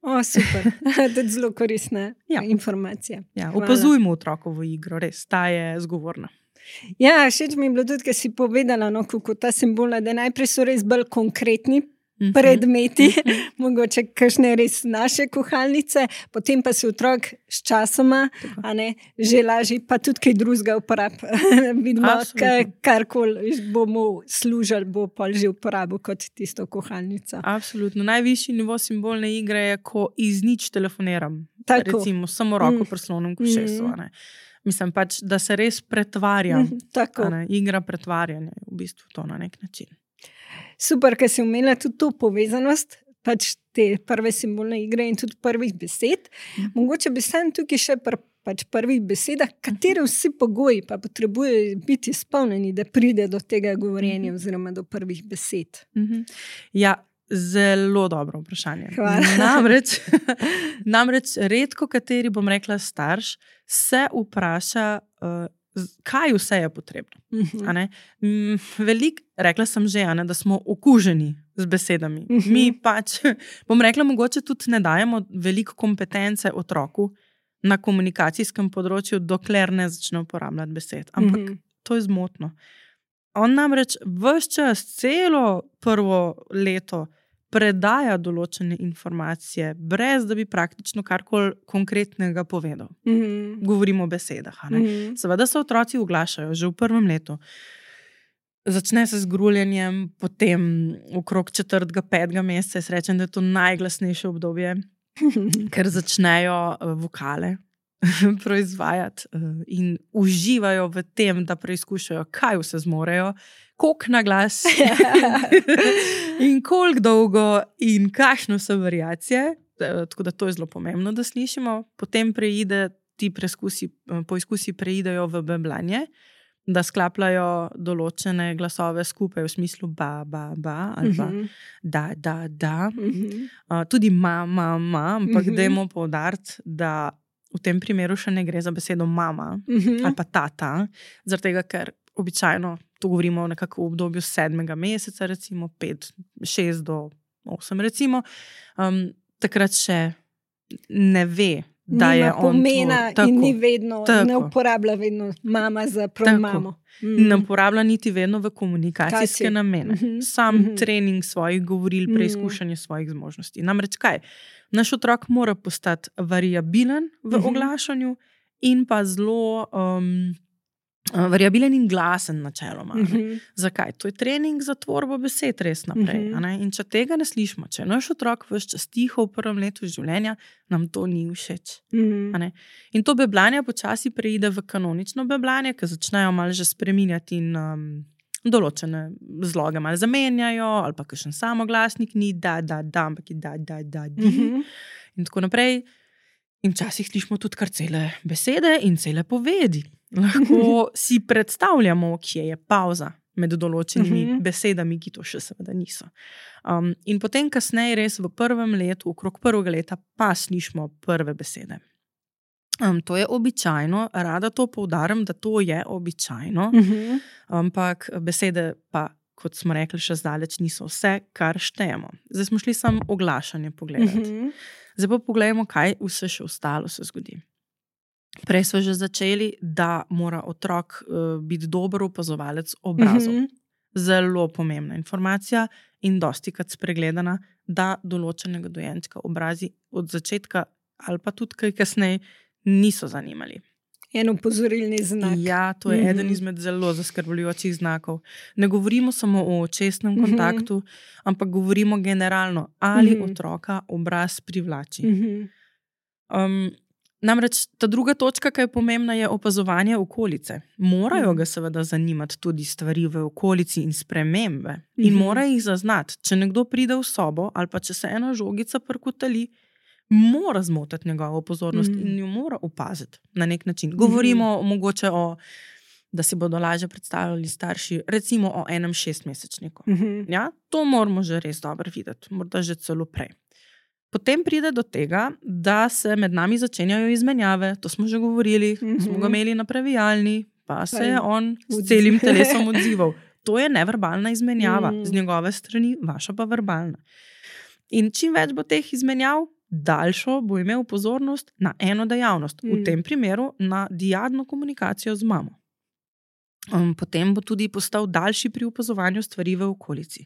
O, super. To je zelo koristna ja. informacija. Ja, opazujmo otrokovo igro, res, ta je zgovorna. Ja, všeč mi je bilo tudi, kaj si povedala, no, kako ta simbolna, da najprej so res bolj konkretni predmeti, mm-hmm. mogoče kakšne res naše kuhalnice, potem pa se otrok s časoma a ne, že lažje, pa tudi kaj drugega uporab. Vidimo, karkoli bomo služili, bo pol že uporabil kot tisto kuhalnico. Absolutno. Najvišji nivo simbolne igre je, ko iz nič telefoniram. Tako. Recimo, samo roko mm. prslonom k ušesu. Mm. Mislim pač, da se res pretvarjam. Mm, igra pretvarjanja je v bistvu to na nek način. Super, ker si omenila tudi to povezanost, pač te prve simbolne igre in tudi prvih besed. Mm. Mogoče bi sam tukaj še pri pač prvih besedah, katere vsi pogoji pa potrebujejo biti izpolnjeni, da pride do tega govorjenja oziroma do prvih besed. Mm-hmm. Ja, zelo dobro vprašanje. Namreč, namreč redko kateri, bom rekla, starš se vpraša, uh, kaj vse je potrebno. Uh-huh. A ne? Velik, rekla sem že, a ne, da smo okuženi z besedami. Uh-huh. Mi pač, bom rekla, mogoče tudi ne dajemo veliko kompetence otroku na komunikacijskem področju, dokler ne začne uporabljati besed. Ampak uh-huh. to je zmotno. On namreč ves čas, celo prvo leto predaja določene informacije, brez da bi praktično karkoli konkretnega povedal. Mm-hmm. Govorimo o besedah. A ne? Mm-hmm. Seveda se otroci oglašajo že v prvem letu. Začne se z gruljenjem, potem okrog četrtega, petega meseca, jaz rečem, da je to najglasnejše obdobje, ker začnejo vokale proizvajati in uživajo v tem, da preizkušajo, kaj vse zmorejo, koliko na glas in koliko dolgo in kakšno so variacije. tako da to je zelo pomembno, da slišimo. Potem preide, ti preskusi, poizkusi preidejo v beblanje, da sklapljajo določene glasove skupaj v smislu ba, ba, ba ali pa uh-huh. da, da, da. Uh-huh. Uh, tudi ma, ma, ma, ampak uh-huh. dajmo poudariti, da v tem primeru še ne gre za besedo mama uh-huh. ali pa tata, zaradi tega, ker običajno to govorimo nekako v obdobju sedmega meseca, recimo pet, šest do osem recimo, um, takrat še ne ve, da nima je on pomena tvoj, in ni vedno, tako. ne uporablja vedno mama za prav mamo. Mm. Ne uporablja niti vedno v komunikacijske Kaci. namene. Mm-hmm. Sam mm-hmm. trening svojih govoril, preizkušanje mm-hmm. svojih zmožnosti. Namreč kaj? Naš otrok mora postati variabilen v mm-hmm. oglašanju in pa zelo um, variabilen in glasen načeloma. Mm-hmm. Zakaj? To je trening za tvorbo besed res naprej. Mm-hmm. In če tega ne slišimo, če naš otrok ves čas tiho v prvem letu življenja, nam to ni všeč. Mm-hmm. In to beblanje počasi preide v kanonično beblanje, ki začnejo malo že spreminjati in um, določene zloge malo zamenjajo, ali pa kakšen samoglasnik ni da, da, da, ampak je da, da, da, di. Mm-hmm. In tako naprej. In včasih slišimo tudi kar cele besede in cele povedi. Lahko si predstavljamo, kje je pauza med določenimi uh-huh. besedami, ki to še seveda niso. Um, in potem kasneje res v prvem letu, okrog prvega leta, pa slišimo prve besede. Um, to je običajno, rada to poudarim, da to je običajno, uh-huh. ampak besede pa, kot smo rekli, še zdaleč niso vse, kar štejemo. Zdaj smo šli samo oglašanje pogledati. Uh-huh. Zdaj pa pogledamo, kaj vse še ostalo se zgodi. Prej smo že začeli, da mora otrok uh, biti dober opazovalec obrazov. Mm-hmm. Zelo pomembna informacija in dostikrat spregledana, da določenega dojenčka obrazi od začetka ali pa tudi kaj kasneje niso zanimali. En opozorilni znak. Ja, to je mm-hmm. eden izmed zelo zaskrbljujočih znakov. Ne govorimo samo o očesnem kontaktu, mm-hmm. ampak govorimo generalno, ali mm-hmm. otroka obraz privlači. Mm-hmm. Um, Namreč ta druga točka, ki je pomembna, je opazovanje okolice. Morajo ga seveda zanimati tudi stvari v okolici in spremembe. In mm-hmm. mora jih zaznati. Če nekdo pride v sobo ali pa če se ena žogica prkotali, mora zmotiti njegovo pozornost mm-hmm. in jo mora opaziti na nek način. Govorimo mm-hmm. mogoče o, da si bodo lažje predstavljali starši, recimo o enem šestmesečniku. Mm-hmm. Ja? To moramo že res dobro videti, morda že celo prej. Potem pride do tega, da se med nami začenjajo izmenjave, to smo že govorili, mm-hmm. smo ga imeli na previjalni, pa se je on s celim telesom odzival. To je neverbalna izmenjava, mm. z njegove strani, vaša pa verbalna. In čim več bo teh izmenjav, daljšo bo imel pozornost na eno dejavnost, mm. v tem primeru na diadno komunikacijo z mamo. Um, potem bo tudi postal daljši pri opazovanju stvari v okolici.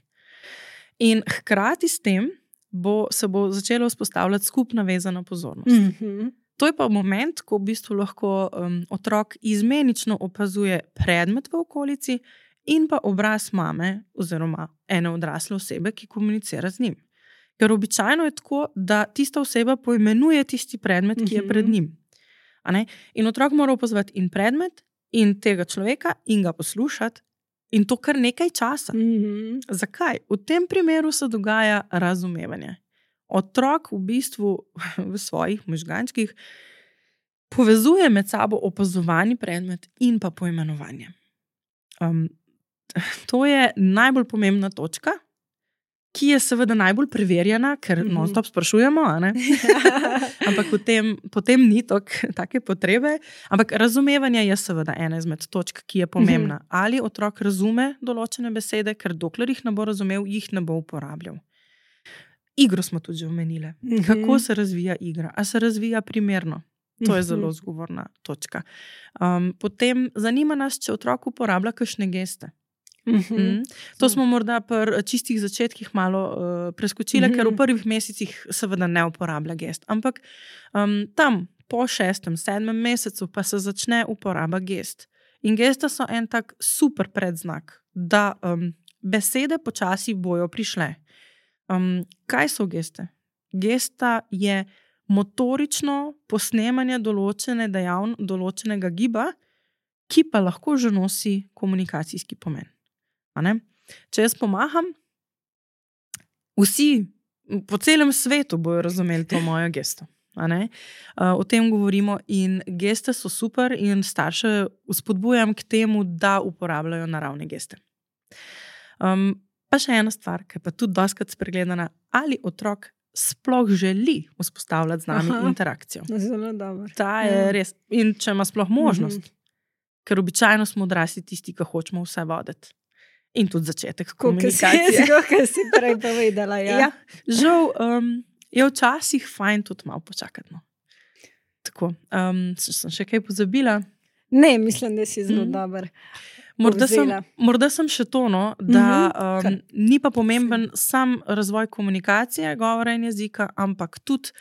In hkrati s tem, Bo, se bo začelo vzpostavljati skupna vezana pozornost. Mm-hmm. To je pa moment, ko v bistvu lahko um, otrok izmenično opazuje predmet v okolici in pa obraz mame oziroma ene odrasle osebe, ki komunicira z njim. Ker običajno je tako, da tista oseba poimenuje tisti predmet, ki je pred njim. A ne? In otrok mora opazovati in predmet in tega človeka in ga poslušati. In to kar nekaj časa. Mm-hmm. Zakaj? V tem primeru se dogaja razumevanje. Otrok v bistvu v svojih možgančkih povezuje med sabo opazovani predmet in pa poimenovanje. Um, to je najbolj pomembna točka, ki je seveda najbolj preverjena, ker mm-hmm. non-stop sprašujemo, a ne? Ampak potem, potem ni tok, take potrebe. Ampak razumevanje je seveda ena izmed točk, ki je pomembna. Mm-hmm. Ali otrok razume določene besede, ker dokler jih ne bo razumel, jih ne bo uporabljal. Igro smo tudi že omenile. Mm-hmm. Kako se razvija igra? A se razvija primerno? To je zelo zgovorna točka. Um, potem zanima nas, če otrok uporablja kakšne geste. Mm-hmm. Mm. To smo morda pri čistih začetkih malo uh, preskočile, mm-hmm. ker v prvih mesecih seveda ne uporablja gest. Ampak um, tam po šestem, sedmem mesecu pa se začne uporaba gest. In gesta so en tak super predznak, da um, besede počasi bojo prišle. Um, kaj so geste? Gesta je motorično posnemanje določene dejavn, določenega giba, ki pa lahko že nosi komunikacijski pomen. A ne? Če jaz pomaham, vsi po celem svetu bojo razumeli to mojo gesto. A ne? Uh, o tem govorimo in geste so super in starše vzpodbujam k temu, da uporabljajo naravne geste. Um, pa še ena stvar, ki je pa tudi dostikrat spregledana, ali otrok sploh želi vzpostavljati z nami Aha, interakcijo. Zelo dobro. Ta je ja. res. In če ima sploh možnost, mm-hmm. ker običajno smo odrasli tisti, ki hočemo vse voditi. In tudi začetek komunikacije. Kako si prej povedala. Ja. Ja, žal um, je včasih fajn tudi malo počakati. No. Tako, um, sem še kaj pozabila? Ne, mislim, da si zelo mm. dober. Morda sem, morda sem še to, no, da um, ni pa pomemben sam razvoj komunikacije, govora in jezika, ampak tudi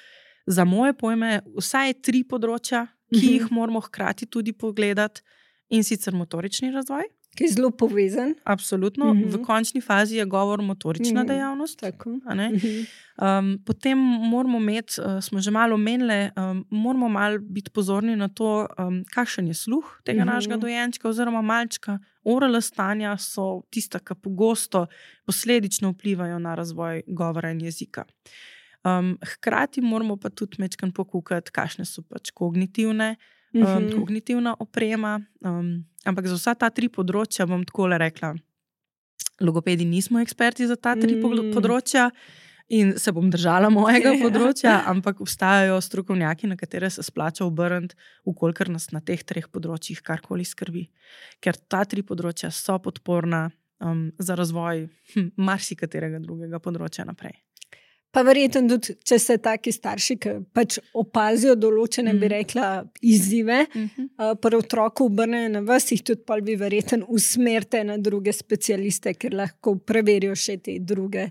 za moje pojme vsaj tri področja, ki mm-hmm. jih moramo hkrati tudi pogledati, in sicer motorični razvoj. Ki je zelo povezan. Absolutno. Mm-hmm. V končni fazi je govor motorična mm-hmm. dejavnost. Tako. A ne? Mm-hmm. Um, potem moramo imeti, uh, smo že malo omenili, um, moramo malo biti pozorni na to, um, kakšen je sluh tega mm-hmm. našega dojenčka oziroma malčka. Oralna stanja so tista, ki pogosto posledično vplivajo na razvoj govora in jezika. Um, hkrati moramo pa tudi mečkan pokukati, kakšne so pač kognitivne, um, mm-hmm. kognitivna oprema. Um, ampak za vsa ta tri področja bom takole rekla, logopedi nismo eksperti za ta tri mm. področja in se bom držala mojega področja, ampak obstajajo strokovnjaki, na katere se splača obrniti, ukolikor nas na teh treh področjih karkoli skrbi. Ker ta tri področja so podporna um, za razvoj hm, marsikaterega drugega področja naprej. Pa verjetno tudi, če se taki starši, ki pač opazijo določene, mm. bi rekla, izzive, mm-hmm. uh, pri otroku obrnejo na vas, jih tudi pol bi verjetno usmerite na druge specialiste, ker lahko preverijo še te druge,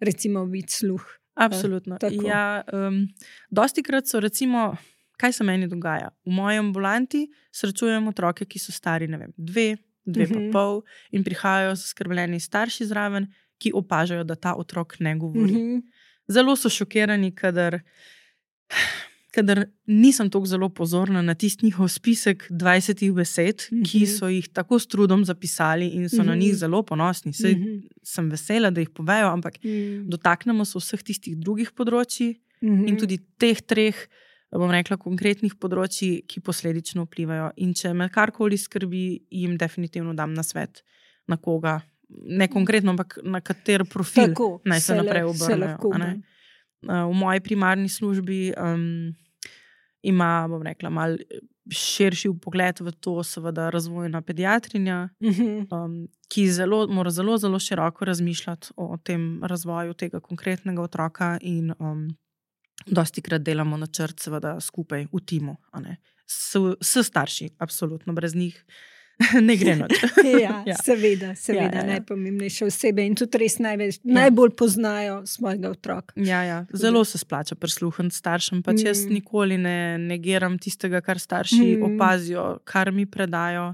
recimo vid sluh. Absolutno. Uh, ja, um, dostikrat so recimo, kaj se meni dogaja? V moji ambulanti srečujem otroke, ki so stari, ne vem, dve, dve mm-hmm. pa pol in prihajajo zaskrbljeni starši zraven, ki opažajo, da ta otrok ne govori. Mm-hmm. Zelo so šokirani, kadar, kadar nisem tako zelo pozorna na tisti njihov spisek dvajsetih besed, mm-hmm. ki so jih tako s trudom zapisali in so mm-hmm. na njih zelo ponosni. Saj mm-hmm. sem vesela, da jih povejo, ampak mm-hmm. dotaknemo se vseh tistih drugih področji mm-hmm. in tudi teh treh, bom rekla, konkretnih področji, ki posledično vplivajo. In če me karkoli skrbi, jim definitivno dam na svet, na koga. Ne konkretno, ampak na kater profil Tako, naj se, se naprej obrnejo. V moji primarni službi um, ima, bom rekla, mal širši pogled v to, seveda razvojna pediatrinja, mm-hmm. um, ki zelo, mora zelo, zelo široko razmišljati o tem razvoju tega konkretnega otroka in um, dostikrat delamo načrt seveda skupaj v timu. A ne? S, s starši, absolutno, brez njih ne gre noč. ja, ja, seveda, seveda, ja, ja, ja. Najpomembnejše osebe in tudi res največ, ja. najbolj poznajo svojega otroka. Ja, ja. Zelo se splača prisluhniti staršem, pač mm. jaz nikoli ne negiram tistega, kar starši mm. opazijo, kar mi predajo.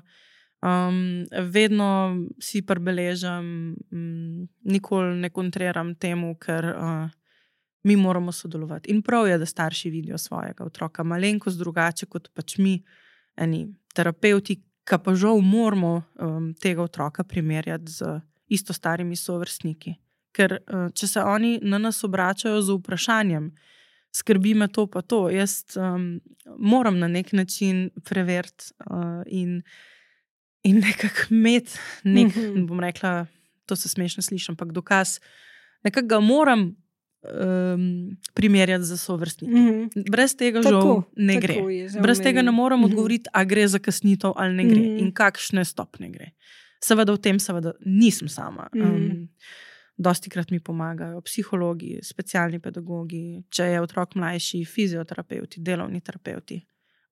Um, vedno si prebeležam, um, nikoli ne kontriram temu, ker uh, mi moramo sodelovati. In prav je, da starši vidijo svojega otroka malenkost drugače, kot pač mi, eni terapevti, ka pa žal moramo um, tega otroka primerjati z isto starimi sovrstniki. Ker uh, če se oni na nas obračajo z vprašanjem, skrbi me to pa to, jaz um, moram na nek način preveriti uh, in, in nekako imeti nek, mm-hmm. bom rekla, to se smešno slišim, ampak dokaz, nekako ga moram Um, primerjati za sovrstniki. Mm-hmm. Brez tega žal tako, ne gre. Je, Brez meni. tega ne moram mm-hmm. odgovoriti, a gre za kasnitev ali ne gre mm-hmm. in kakšne stopne gre. Seveda v tem seveda nisem sama. Mm-hmm. Um, dostikrat mi pomagajo psihologi, specialni pedagogi, če je otrok mlajši, fizioterapeuti, delovni terapeuti.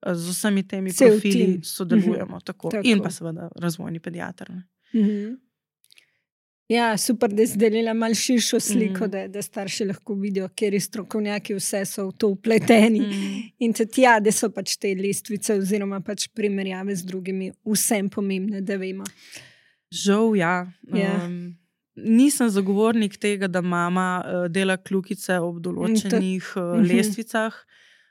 Z vsemi temi Cel profili tim. sodelujemo mm-hmm. tako. tako. In pa seveda razvojni pediater. Mm-hmm. Ja, super, da si delila malo širšo sliko, mm. da, da starši lahko vidijo, kjer strokovnjaki vse so v to vpleteni. Mm. In tudi ja, da so pač te lestvice oziroma pač primerjave z drugimi vsem pomembne, da vemo. Žal, ja. ja. Um, nisem zagovornik tega, da mama uh, dela kljukice ob določenih uh, mm-hmm. lestvicah,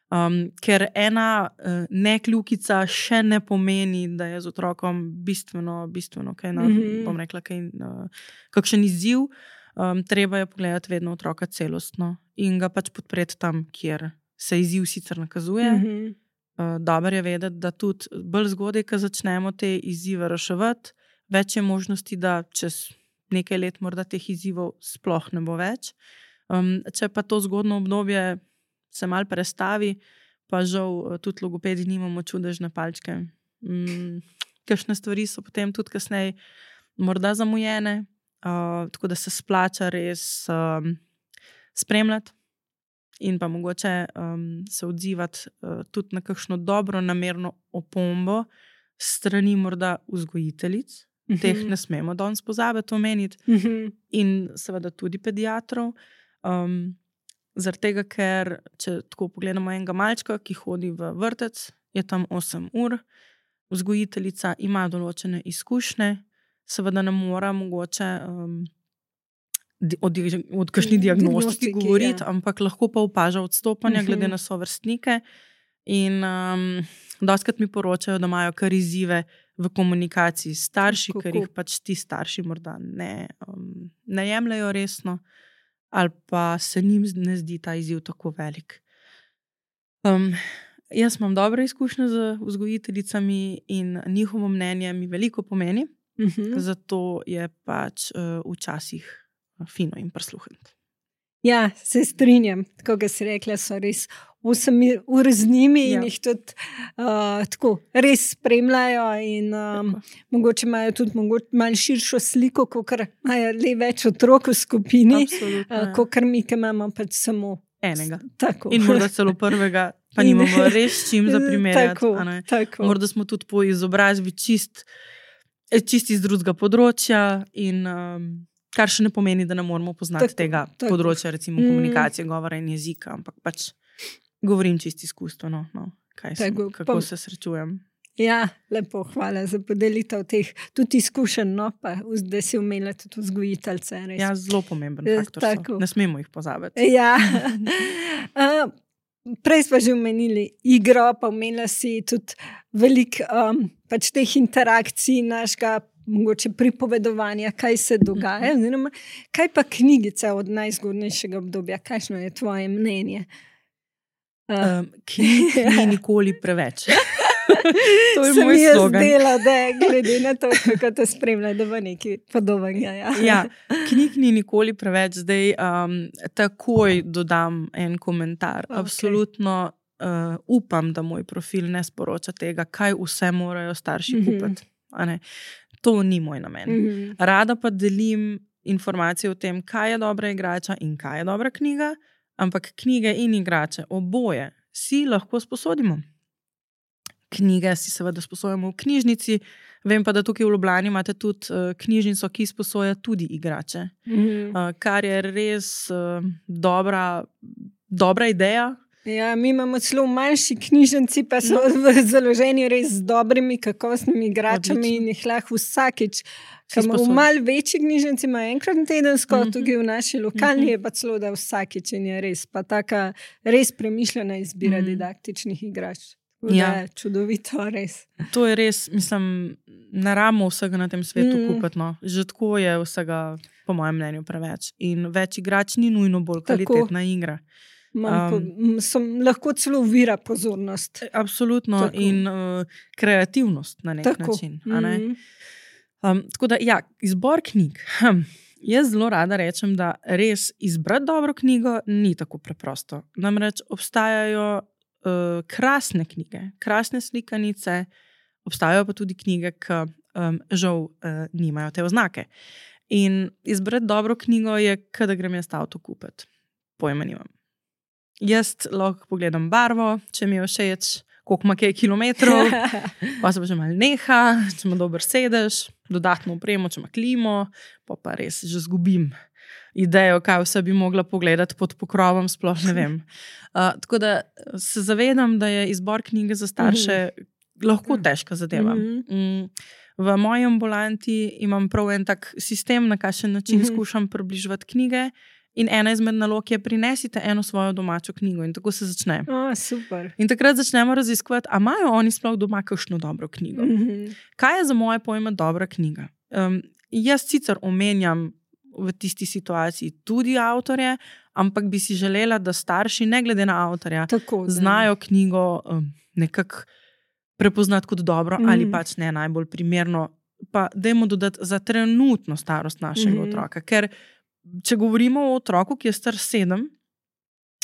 um, ker ena uh, ne kljukica še ne pomeni, da je z otrokom bistveno, bistveno kaj na, mm-hmm. bom rekla, kaj, uh, kakšen izziv. Um, treba je pogledati vedno otroka celostno in ga pač podpreti tam, kjer se izziv sicer nakazuje. Mhm. Uh, dobro je vedeti, da tudi bolj zgodaj, ko začnemo te izzive reševati, več je možnosti, da čez nekaj let morda teh izzivov sploh ne bo več. Um, če pa to zgodno obdobje se mal prestavi, pa žal tudi logopedi nimamo čudežne palčke. Um, kakšne stvari so potem tudi kasneje morda zamujene, uh, tako da se splača res um, spremljati in pa mogoče um, se odzivati uh, tudi na kakšno dobro namerno opombo strani morda vzgojiteljic. Uh-huh. Teh ne smemo danes pozabiti omeniti. Uh-huh. In seveda tudi pediatrov. Um, zaradi tega, ker če tako pogledamo enega malčka, ki hodi v vrtec, je tam osem ur, vzgojiteljica ima določene izkušnje, seveda ne mora mogoče um, od, od kakšni diagnostiki govoriti, ja. Ampak lahko pa opaža odstopanja uh-huh. glede na sovrstnike in um, dostikrat mi poročajo, da imajo kar izzive v komunikaciji s starši, Kako? Ker jih pač ti starši morda ne, um, ne jemljajo resno ali pa se njim ne zdi ta izziv tako velik. Um, jaz imam dobre izkušnje z vzgojiteljicami in njihovo mnenje mi veliko pomeni, uh-huh. zato je pač uh, včasih fino in prisluhniti. Ja, se strinjam. Tako, kot si rekla, so res osem ur z njimi in ja. Jih tudi uh, tako res spremljajo in um, mogoče imajo tudi mogoče malo širšo sliko, kakor imajo le več otrok v skupini, uh, kakor mi, ki imamo pač samo enega. Tako. In morda celo prvega, pa nimamo res čim za primerjati. Tako, tako. Morda smo tudi po izobrazbi čist, čist iz drugega področja in um, kar še ne pomeni, da ne moramo poznati tako, tega tako. področja, recimo komunikacije, mm. govora in jezika, ampak pač govorim čisto izkustveno, no, kaj sem, tako, kako pa, se srečujem. Ja, lepo, hvala za podelitev teh tudi izkušenj, no, pa da si umela tudi vzgojiteljce. Ja, zelo pomemben faktor tako. So. Ne smemo jih pozabiti. Ja. uh, prej smo že omenili igro, pa omenila si tudi veliko um, pač teh interakcij našega mogoče pripovedovanja, kaj se dogaja. Oziroma, kaj pa knjigica od najzgodnejšega obdobja? Kakšno je tvoje mnenje? Uh, knjig ni nikoli preveč. To je se moj slogan. Se mi je zdela, da je glede na to, kako te spremlja, da bo nekaj podobnega. Ja. Ja, knjig ni nikoli preveč. Zdaj um, takoj dodam en komentar. Okay. Absolutno uh, upam, da moj profil ne sporoča tega, kaj vse morajo starši mm-hmm. kupiti. A ne? To ni moj namen. Mm-hmm. Rada pa delim informacije o tem, kaj je dobra igrača in kaj je dobra knjiga, ampak knjige in igrače, oboje, si lahko sposodimo. Knjige si seveda sposojamo v knjižnici, vem pa, da tukaj v Ljubljani imate tudi uh, knjižnico, ki sposoja tudi igrače. Mm-hmm. Uh, kar je res uh, dobra, dobra ideja. Ja, mi imamo celo manjši knjižnici, pa so no. založeni res z dobrimi, kakovostnimi igračami Odlično. In jih lahko vsakič. V malo večji knjižnici ima enkrat na tedensko, mm-hmm. tukaj v naši lokalni mm-hmm. je pa celo, da vsakič in je res. Pa taka res premišljena izbira mm-hmm. didaktičnih igrač. Ja. Čudovito, res. To je res, mislim, ne rabimo vsega na tem svetu mm. kupiti. No. Že tako je vsega, po mojem mnenju, preveč. In več igrač ni nujno bolj kvalitetna tako. Igra. Um, sem lahko celo vira pozornost. Absolutno. Tako. In uh, kreativnost na nek tako. Način. A ne? Mm-hmm. Um, tako da, ja, izbor knjig. Hm. Jaz zelo rada rečem, da res izbrati dobro knjigo ni tako preprosto. Namreč obstajajo uh, krasne knjige, krasne slikanice, obstajajo pa tudi knjige, ki um, žal uh, nimajo te oznake. In izbrati dobro knjigo je, kada grem jaz avto kupiti. Pojma nimam. Jaz lahko pogledam barvo, če mi je všeč, koliko ima kaj kilometrov, pa se pa že malo neha, če ima dober sedež, dodatno opremo, če ima klimo, pa pa res že zgubim idejo, kaj vse bi mogla pogledati pod pokrovom, sploh ne vem. Uh, tako da se zavedam, da je izbor knjige za starše mm-hmm. lahko težka zadeva. Mm-hmm. V moji ambulanti imam prav en tak sistem, na kakšen način mm-hmm. skušam približevati knjige. In ena izmed nalog je prinesite eno svojo domačo knjigo in tako se začne. Oh, super. In takrat začnemo raziskovati, a imajo oni sploh doma kakšno dobro knjigo. Mm-hmm. Kaj je za moje pojme dobra knjiga? Um, jaz sicer omenjam v tisti situaciji tudi avtorje, ampak bi si želela, da starši, ne glede na avtorja, Tako, znajo knjigo um, nekako prepoznati kot dobro mm. ali pač ne najbolj primerno, pa dajmo dodati za trenutno starost našega mm. otroka. Ker če govorimo o otroku, ki je star sedem,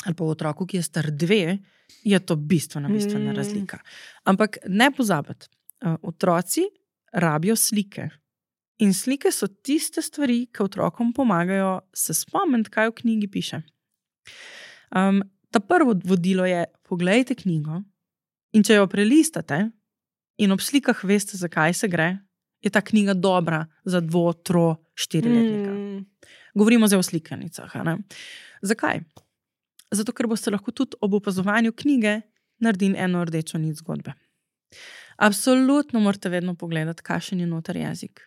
ali pa o otroku, ki je star dve, je to bistvena, bistvena mm. razlika. Ampak ne pozabiti, uh, otroci rabijo slike. In slike so tiste stvari, ki otrokom pomagajo se spomniti, kaj v knjigi piše. Um, ta prvo vodilo je, poglejte knjigo in če jo prelistate in ob slikah veste, zakaj se gre, je ta knjiga dobra za dvo, tro, štiriletnika. Mm. Govorimo zdaj o slikanicah. Ne? Zakaj? Zato, ker boste lahko tudi ob opazovanju knjige naredili eno rdečo nit zgodbe. Absolutno morate vedno pogledati, kakšen je noter jezik.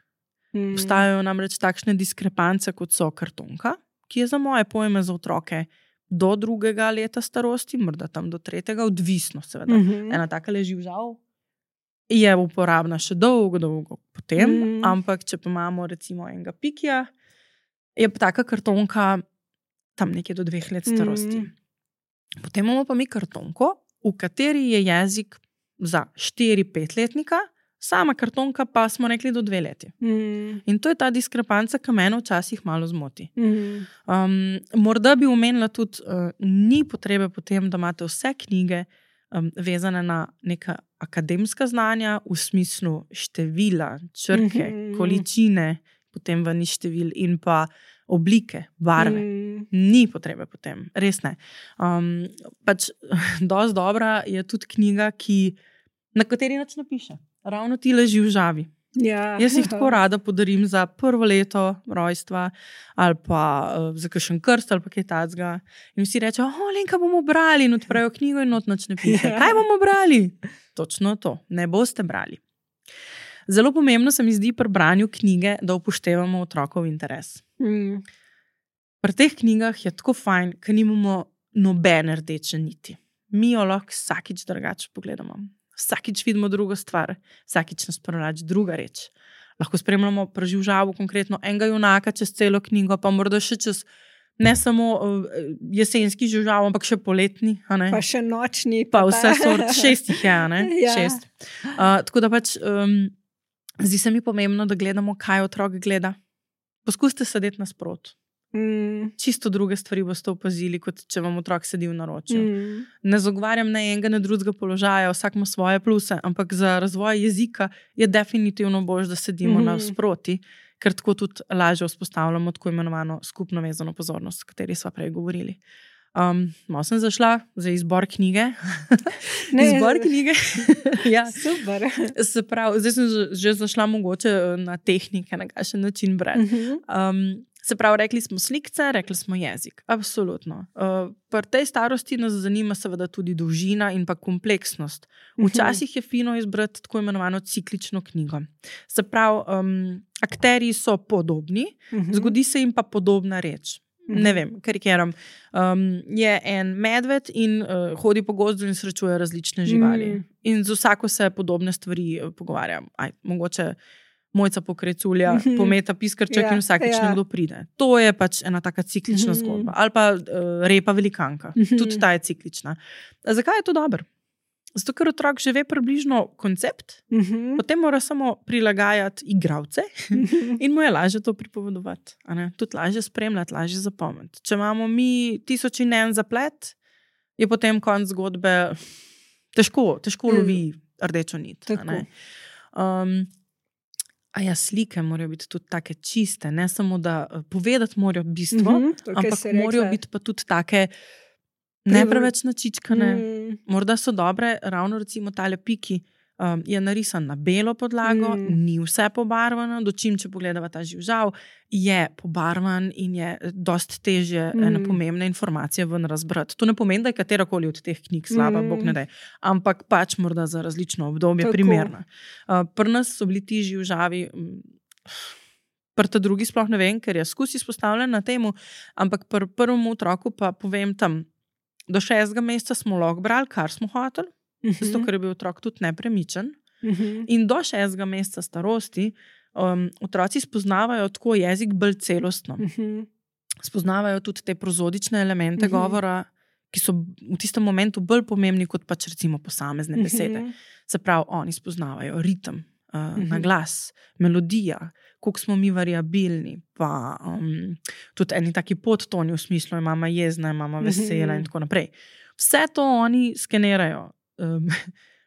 Mm. Obstajajo namreč takšne diskrepance, kot so kartonka, ki je za moje pojme za otroke do drugega leta starosti, morda tam do tretjega, odvisno seveda. Mm-hmm. Ena taka leživžal je uporabna še dolgo, dolgo potem, mm. ampak če pa imamo recimo enega pikija, je pa taka kartonka tam nekje do dveh let starosti. Mm. Potem imamo pa mi kartonko, v kateri je jezik za štiri pet letnika, sama kartonka pa smo rekli do dve leti. Mm. In to je ta diskrepanca, ki mene včasih malo zmoti. Mm. Um, morda bi omenila tudi, uh, ni potrebe potem, da imate vse knjige um, vezane na neka akademska znanja v smislu števila, črke, mm-hmm. količine, potem ven števil in pa oblike, barve. Mm. Ni potrebe potem, res ne. Um, pač dosti dobra je tudi knjiga, ki, na kateri nič napiše. Ravno ti leži v žavi. Ja. Jaz jih tako rada podarim za prvo leto rojstva ali pa uh, za kakšen krst ali pa kaj tacga. In vsi rečejo, o, Lenka, bomo brali in odprejo knjigo in not nič ne piše. Kaj bomo brali? Točno to, ne boste brali. Zelo pomembno se mi zdi pri branju knjige, da upoštevamo otrokov interes. Mm. Pri teh knjigah je tako fajn, ker nimamo nobene rdeče niti. Mi jo lahko vsakič drugače pogledamo. Vsakič vidimo drugo stvar, vsakič nas prevlači druga reč. Lahko spremljamo preživljavo konkretno enega junaka čez celo knjigo, pa morda še čez ne samo uh, jesenski življav, ampak še poletni. Pa še nočni. Pa vse sort, šest jih je, ne? Ja. Šest. Uh, tako da pač um, zdi se mi pomembno, da gledamo, kaj otrok gleda. Poskusite sedeti nasprot. Mm. Čisto druge stvari boste opazili, kot če vam otrok sedi v naročju. Mm. Ne zagovarjam ne enega, ne drugega položaja, vsak ima svoje pluse, ampak za razvoj jezika je definitivno boljše, da sedimo mm. nasproti, ker tako tudi lažje vzpostavljamo tako imenovano skupno vezano pozornost, o kateri sva prej govorili. Um, malo sem zašla za izbor knjige. Ne, izbor knjige. Ja. Super. Se pravi, zdaj sem že zašla mogoče na tehnike, na kakšen način brati. Mm-hmm. Um, Se pravi, rekli smo slikce, rekli smo jezik. Absolutno. Uh, pri tej starosti nas zanima seveda tudi dolžina in pa kompleksnost. Včasih je fino izbrati tako imenovano ciklično knjigo. Se pravi, um, akterji so podobni, uh-huh. zgodi se jim pa podobna reč. Uh-huh. Ne vem, karikiram. Um, je en medved in uh, hodi po gozdu in srečuje različne živali. Uh-huh. In z vsako se podobne stvari uh, pogovarja. Aj, mogoče Mojca pokreculja, mm-hmm. pometa piskrček ja, in vsakič ja. nekdo pride. To je pač ena taka ciklična mm-hmm. zgodba. Ali pa uh, repa velikanka. Mm-hmm. Tudi ta je ciklična. A zakaj je to dobro? Zato, ker otrok že ve približno koncept, mm-hmm. potem mora samo prilagajati igralce mm-hmm. in mu je lažje to pripovedovati. Tudi lažje spremljati, lažje zapomniti. Če imamo mi tisoč in en zaplet, je potem konc zgodbe težko, težko mm. lovi rdečo nit. A ja, slike morajo biti tudi take čiste, ne samo da povedati morajo bistvo, mm-hmm, ampak morajo biti pa tudi take ne preveč načičkane. Mm. Morda so dobre, ravno recimo tale piki um, je narisan na belo podlago, mm. ni vse pobarvano, dočim, če pogledava ta živžav, je pobarvan in je dost težje mm. ene pomembne informacije ven razbrati. To ne pomeni, da je katerakoli od teh knjig slaba, mm. bog ne daj, ampak pač morda za različno obdobje Tako. primerna. Uh, pri nas so bili ti živžavi, pri ta drugi sploh ne vem, ker je skus izpostavljen na temu, ampak pri prvem otroku pa povem tam, do šestega meseca smo lahko brali, kar smo hoteli, uh-huh. zato ker je bil otrok tudi nepremičen. Uh-huh. In do šestega meseca starosti um, otroci spoznavajo tako jezik bolj celostno. Mhm. Spoznavajo tudi te prozodične elemente Mhm. govora, ki so v tistem momentu bolj pomembni kot pač recimo posamezne besede. Mhm. Se pravi, oni spoznavajo ritem, uh, Mhm. na glas, melodija, koliko smo mi variabilni, pa um, tudi eni taki podtoni v smislu, je mama jezna, je mama vesela Mhm. in tako naprej. Vse to oni skenirajo. Um,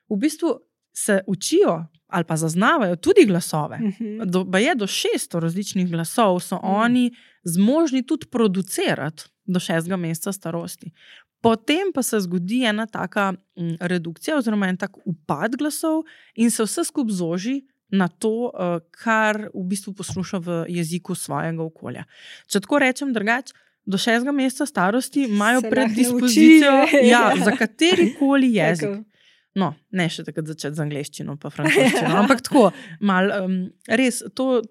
v bistvu se učijo ali pa zaznavajo tudi glasove. Mhm. Do, ba je do šeststo različnih glasov, so Mhm. oni zmožni tudi producirati do šestega meseca starosti. Potem pa se zgodi ena taka m, redukcija oziroma en tak upad glasov in se vse skupaj zoži na to, uh, kar v bistvu posluša v jeziku svojega okolja. Če tako rečem drugače, do šestega meseca starosti imajo Se lahko predispozicijo nauči. ja, za katerikoli jezik. Tako. No, ne še takrat začeti z angleščino pa francoščino, ampak tako, mal, um, res, to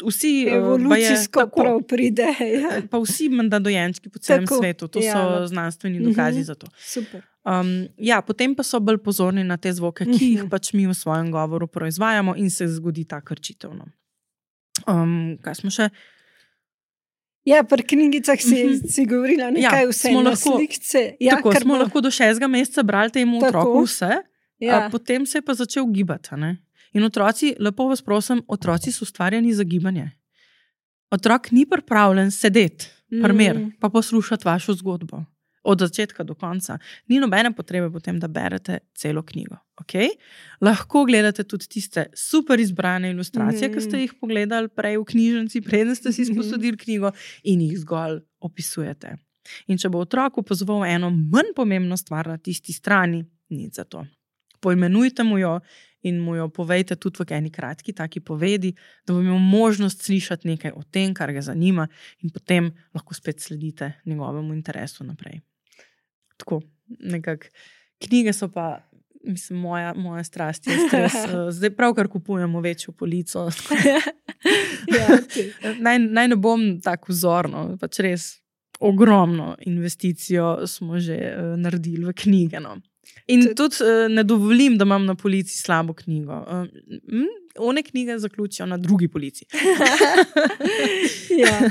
vsi uh, Evolucijsko baje, tako, prav pride. Ja. pa vsi menda dojenčki po celem Tako, svetu, to ja. so znanstveni dokazi Mhm. za to. Super. Um, ja, potem pa so bolj pozorni na te zvoke, ki jih pač mi v svojem govoru proizvajamo in se zgodi ta krčitev. No. Um, kaj smo še? Ja, pri knjigicah si, Mhm. si govorila nekaj Ja, vse smo na lahko- slikce. Ja, Tako kar smo bo- lahko do šestega meseca brali temu Tako. otroku vse, Ja. a potem se je pa začel gibati. a Ne? In otroci, lepo vas prosim, otroci so ustvarjeni za gibanje. Otrok ni pripravljen sedeti, primer, Mm. pa poslušati vašo zgodbo. Od začetka do konca. Ni nobene potrebe potem, da berete celo knjigo. Okay? Lahko gledate tudi tiste super izbrane ilustracije, Mhm. ki ste jih pogledali prej v knjižnici, preden ste si sposodili knjigo in jih zgolj opisujete. In če bo otrok opazoval eno manj pomembno stvar na tisti strani, nič za to. Poimenujte mu jo in mu jo povejte tudi v eni kratki taki povedi, da bo imel možnost slišati nekaj o tem, kar ga zanima, in potem lahko spet sledite njegovemu interesu naprej. Tako, nekako. Knjige so pa, mislim, moja, moja strast je stres. eh, Zdaj pravkar kupujemo večjo polico. Ja, ti. naj, naj ne bom tako vzorno, pač res ogromno investicijo smo že uh, naredili v knjige. No. In Tudi- tudi uh, ne dovolim, da imam na polici slabo knjigo. Uh, mm, one knjige zaključijo na drugi polici. Ja.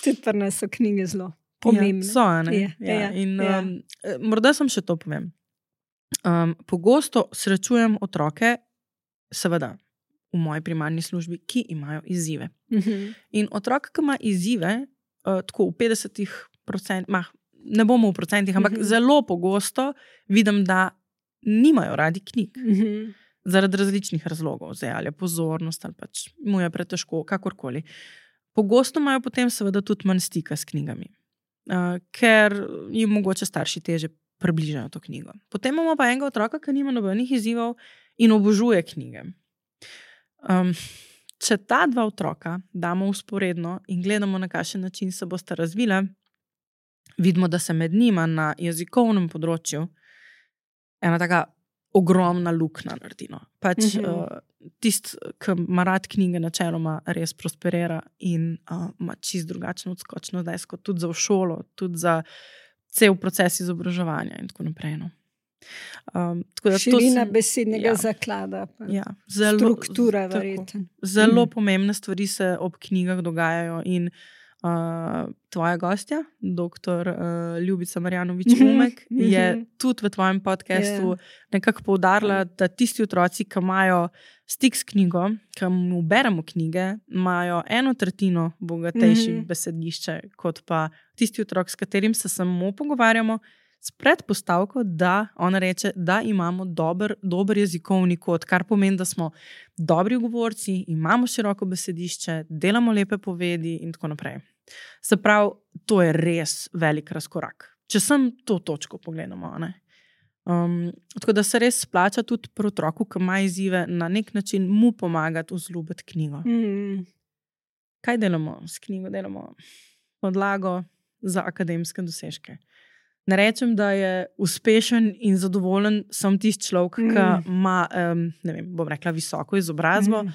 Tudi pri nas so knjige zelo pomembne. Ja, so, a ne? Ja, Ja, ja, in, ja. um, eh, morda sem še to povem. Um, pogosto srečujem otroke, seveda v moji primarni službi, ki imajo izzive. Mhm. In otrok, ki ima izzive, uh, tako v petdesetih procentih, ne bomo v procentih, ampak Mhm. zelo pogosto vidim, da nimajo radi knjig. Mhm. Zaradi različnih razlogov, zdaj ali je pozornost, ali pač mu je pretežko, kakorkoli. Pogosto imajo potem seveda tudi manj stika s knjigami, uh, ker jim mogoče starši teže približajo to knjigo. Potem imamo pa enega otroka, ki nima nobenih izzivov in obožuje knjige. Um, če ta dva otroka damo usporedno in gledamo, na kakšen način se bosta razvila, vidimo, da se med njima na jezikovnem področju ena taka ogromna luknja naredi. No. Pač Mhm. uh, tisti, ki ima rad knjige, načeloma res prosperira in uh, ima čist drugačno odskočno zdaj, kot tudi za v šolo, tudi za cel proces izobraževanja in tako naprej. No. Um, tako da to Širina sem- besednega ja. zaklada. pa Ja, zelo, Struktura, tako. verjetno. Zelo Mhm. pomembne stvari se ob knjigah dogajajo in uh, tvoja gostja, doktor uh, Ljubica Marjanovič-Umek, Mhm, je mhm. tudi v tvojem podcastu Ja. nekako poudarila, da tisti otroci, ki imajo stik s knjigo, ki mu beremo knjige, imajo eno tretjino bogatejše Mhm. besedišče, kot pa tisti otrok, s katerim se samo pogovarjamo, s predpostavko, da ona reče, da imamo dober, dober jezikovni kod, kar pomeni, da smo dobri govorci, imamo široko besedišče, delamo lepe povedi in tako naprej. Se pravi, to je res velik razkorak. Če sem to točko pogledamo, ne? Um, tako da se res splača tudi pri otroku, ki ima izzive, na nek način mu pomagati vzljubiti knjigo. Mhm. Kaj delamo s knjigo? Delamo podlago za akademske dosežke. Ne rečem, da je uspešen in zadovoljen sem tisti človek, ki Mm. ima, um, ne vem, bom rekla, visoko izobrazbo, Mhm.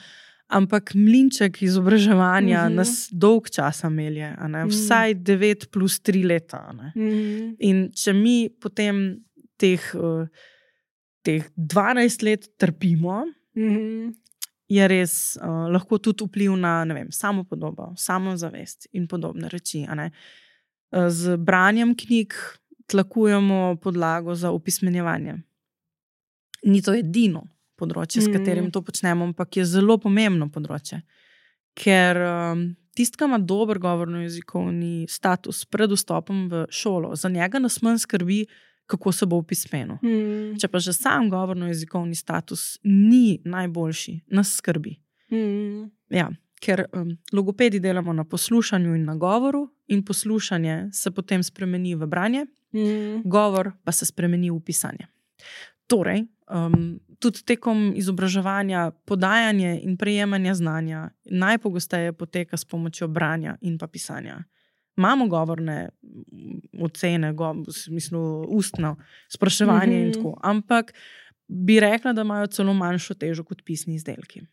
ampak mlinček izobraževanja Mhm. nas dolg časa melje, a ne? Mhm. Vsaj devet plus tri leta. A ne? Mhm. In če mi potem teh, uh, teh dvanajst let trpimo, Mhm. je res uh, lahko tudi vpliv na, ne vem, samopodobo, samozavest in podobne reči. A ne? Uh, z branjem knjig tlakujemo podlago za opismenjevanje. Ni to edino področje, s katerim to počnemo, ampak je zelo pomembno področje. Ker um, tist, ki ima dober govorno-jezikovni status pred vstopom v šolo, za njega nas manj skrbi, kako se bo opismenil. Mm. Če pa že sam govorno-jezikovni status ni najboljši, nas skrbi. Mm. Ja, ker um, logopedi delamo na poslušanju in na govoru in poslušanje se potem spremeni v branje, mm. govor pa se spremeni v pisanje. Torej, um, tudi tekom izobraževanja, podajanje in prejemanja znanja najpogosteje poteka s pomočjo branja in pa pisanja. Imamo govorne ocene, go, v smislu ustno spraševanje mm-hmm. in tako, ampak bi rekla, da imajo celo manjšo težo kot pisni izdelki.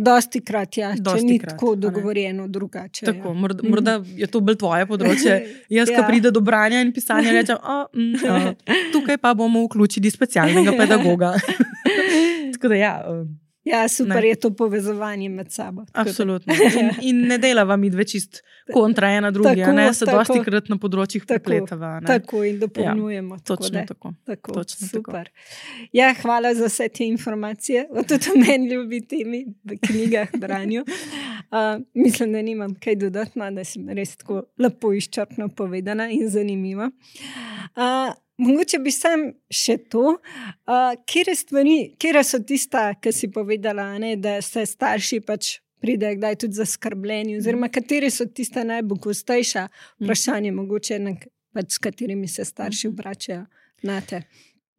Dosti krat, ja, Dosti če ni krat, tako dogovorjeno drugače. Tako, ja. morda, morda je to bolj tvoje področje. Jaz, ja. ko pride do branja in pisanja, rečem, oh, mm, uh, tukaj pa bomo vključili specialnega pedagoga. Tako da ja. Uh, Ja, super ne. Je to povezovanje med sabo. Absolutno. In, in ne delava mi dve čist kontra ena drugi, tako, ne? Se tako, dosti krat na področjih prepletava. Tako in dopolnjujemo. Ja, točno tako. tako. Točno super. tako. Ja, hvala za vse te informacije. O tudi o meni ljubi temi v knjigah, branju. Uh, mislim, da nimam kaj dodati, da sem res tako lepo izčrpno povedana in zanimiva. Uh, Mogoče bi sam še to, uh, kere stvari, kere so tista, ki si povedala, ne, da se starši pač pridejo kdaj tudi zaskrbljeni, oziroma katere so tista najpogostejša vprašanja, mogoče, na, pač, s katerimi se starši obračajo na te.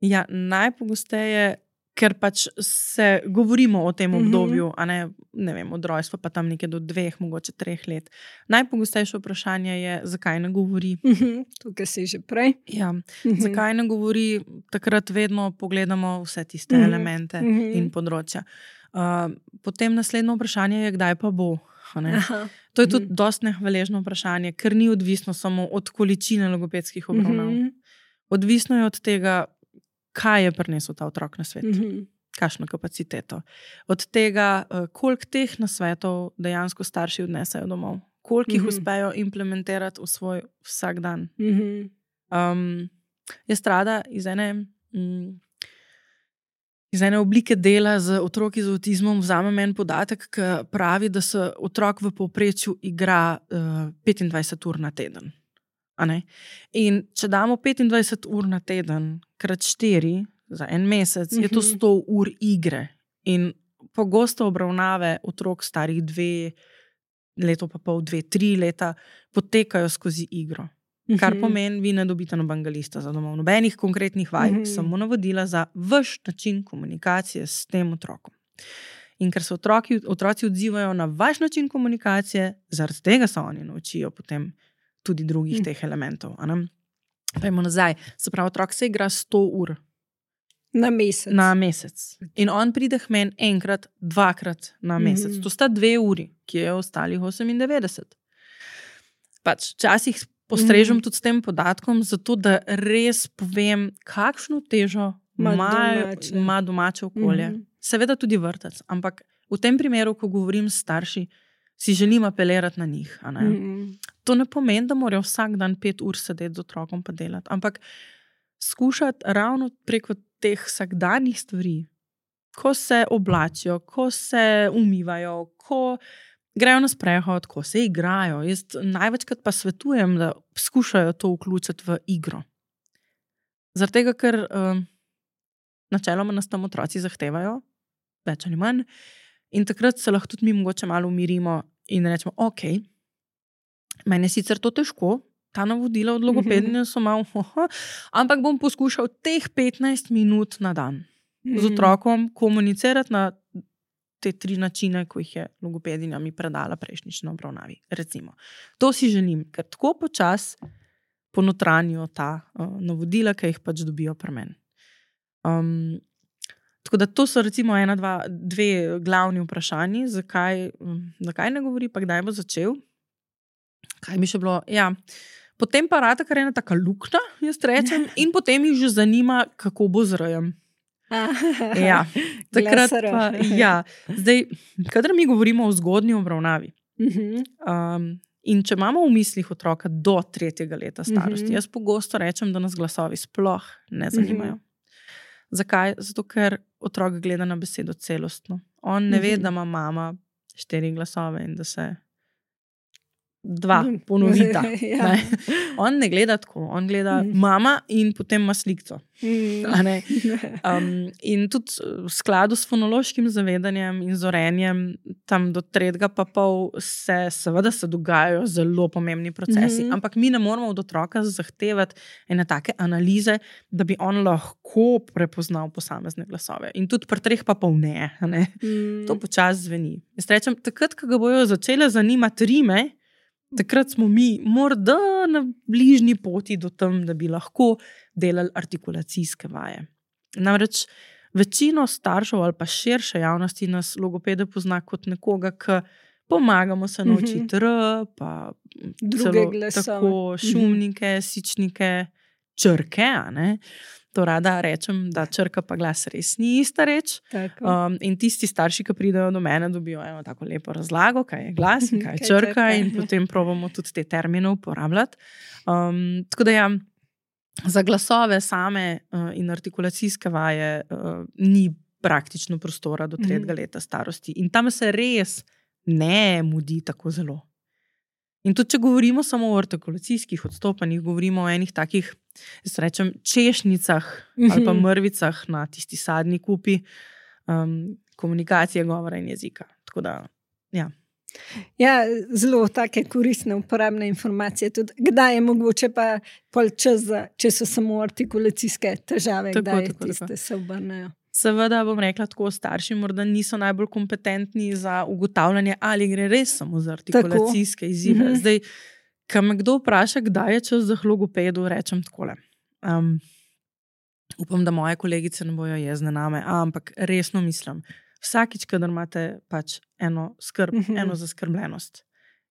Ja, najpogosteje, ker pač se govorimo o tem obdobju, a ne, ne vem, od rojstva pa tam nekaj do dveh, mogoče treh let. Najpogostejše vprašanje je, zakaj ne govori. Uh-huh. Tukaj si že prej. Ja, uh-huh. Zakaj ne govori, takrat vedno pogledamo vse tiste uh-huh. elemente uh-huh. in področja. Uh, potem naslednje vprašanje je, kdaj pa bo. To je tudi uh-huh. dosti nehvaležno vprašanje, ker ni odvisno samo od količine logopedskih obravnav. Uh-huh. Odvisno je od tega, kaj je prinesel ta otrok na svet, mm-hmm. kakšno kapaciteto. Od tega, koliko teh nasvetov dejansko starši odnesajo domov, koliko mm-hmm. jih uspejo implementirati v svoj vsak dan. Mm-hmm. Um, jaz rada iz ene, mm, iz ene oblike dela z otroki z avtizmom vzamem en podatek, ki pravi, da se otrok v povprečju igra uh, petindvajset ur na teden. In če damo petindvajset ur na teden krat štiri za en mesec, mm-hmm. je to sto ur igre. In pogosto obravnave otrok starih dve, leto pa pol, dve, tri leta potekajo skozi igro. Mm-hmm. Kar pomeni, vi ne dobite nobenega lista za domov, nobenih konkretnih vaj, mm-hmm. samo navodila za vaš način komunikacije s tem otrokom. In ker se otroki, otroci odzivajo na vaš način komunikacije, zaradi tega se oni naučijo potem tudi drugih mm. teh elementov. Pojmo nazaj. Se pravi, otrok se igra sto ur. Na mesec. Na mesec. In on pride k meni enkrat, dvakrat na mesec. Mm. To sta dve uri, ki je ostalih osemindevetdeset. Pač, časih postrežem mm. tudi s tem podatkom, zato da res povem, kakšno težo ima domače okolje. Mm. Seveda tudi vrtec, ampak v tem primeru, ko govorim s starši, si želim apelirati na njih. A ne? Mm-hmm. To ne pomeni, da morajo vsak dan pet ur sedeti z otrokom pa delati, ampak skušati ravno preko teh vsakdanjih stvari, ko se oblačijo, ko se umivajo, ko grejo na sprehod, ko se igrajo. Jaz največkrat pa svetujem, da skušajo to vključiti v igro. Zaradi tega, ker um, načeloma nas tam otroci zahtevajo, več ali manj, in takrat se lahko tudi mi mogoče malo umirimo in rečemo, ok, meni je sicer to težko, ta navodila od logopedinja so malo, oho, ampak bom poskušal teh petnajst minut na dan z otrokom komunicirati na te tri načine, ko jih je logopedinja mi predala prejšnjič na obravnavi. Recimo. To si želim, ker tako počas ponotranjijo ta uh, navodila, ki jih pač dobijo pri meni. Um, Tako da to so recimo ena, dva, dve glavni vprašanji, zakaj, zakaj ne govori, pa kdaj bo začel. Kaj bi še bilo? Ja. Potem pa rata kar ena taka luknja, jaz rečem, in potem jih že zanima, kako bo z rejem. Ja, takrat pa, ja. Zdaj, kadar mi govorimo o zgodnji obravnavi, um, in če imamo v mislih otroka do tretjega leta starosti, jaz pogosto rečem, da nas glasovi sploh ne zanimajo. Zakaj? Zato, ker otrok gleda na besedo celostno. On ne ve, da ima mama štiri glasove in da se dva ponovita. Ja. Ne? On ne gleda tako, on gleda mm. mama in potem ima slikco. Mm. Um, in tudi v skladu s fonološkim zavedanjem in zorenjem, tam do tretjega pa pol se seveda se dogajajo zelo pomembni procesi, mm. ampak mi ne moramo od otroka zahtevati ene take analize, da bi on lahko prepoznal posamezne glasove. In tudi pri treh pa pol ne. ne? Mm. To počas zveni. Jaz rečem, takrat, ko ga bojo začele zanimati rime, takrat smo mi morda na bližnji poti do tam, da bi lahko delali artikulacijske vaje. Namreč večino staršev ali pa širše javnosti nas logopede pozna kot nekoga, ki pomagamo se naučiti R, pa druge glasove, tako šumnike, sičnike, črke, a ne? To rada rečem, da črka pa glas res ni ista reč. Um, in tisti starši, ki pridejo do mene, dobijo eno tako lepo razlago, kaj je glas in kaj je črka, in potem probamo tudi te termine uporabljati. Um, tako da ja, za glasove same uh, in artikulacijske vaje uh, ni praktično prostora do tretjega leta starosti. In tam se res ne mudi tako zelo. In tudi, če govorimo samo o artikulacijskih odstopanjih, govorimo o enih takih, jaz rečem, češnicah ali pa mrvicah na tisti sadni kupi um, komunikacije, govora in jezika. Tako da, ja. Ja, zelo take koristne, uporabne informacije. Tudi, kdaj je mogoče pa pol čas, za, če so samo artikulacijske težave, tako, kdaj tako, tiste tako. Se obrnejo. Seveda bom rekla tako, starši morda niso najbolj kompetentni za ugotavljanje, ali gre res samo za artikulacijske tako. Izzive. Mm-hmm. Zdaj, ko me kdo vpraša, kdaj je čas za logopedu, rečem takole. Um, upam, da moje kolegice ne bojo jezne name, ampak resno mislim, vsakič, kadar imate pač eno skrb, mm-hmm. eno zaskrbljenost.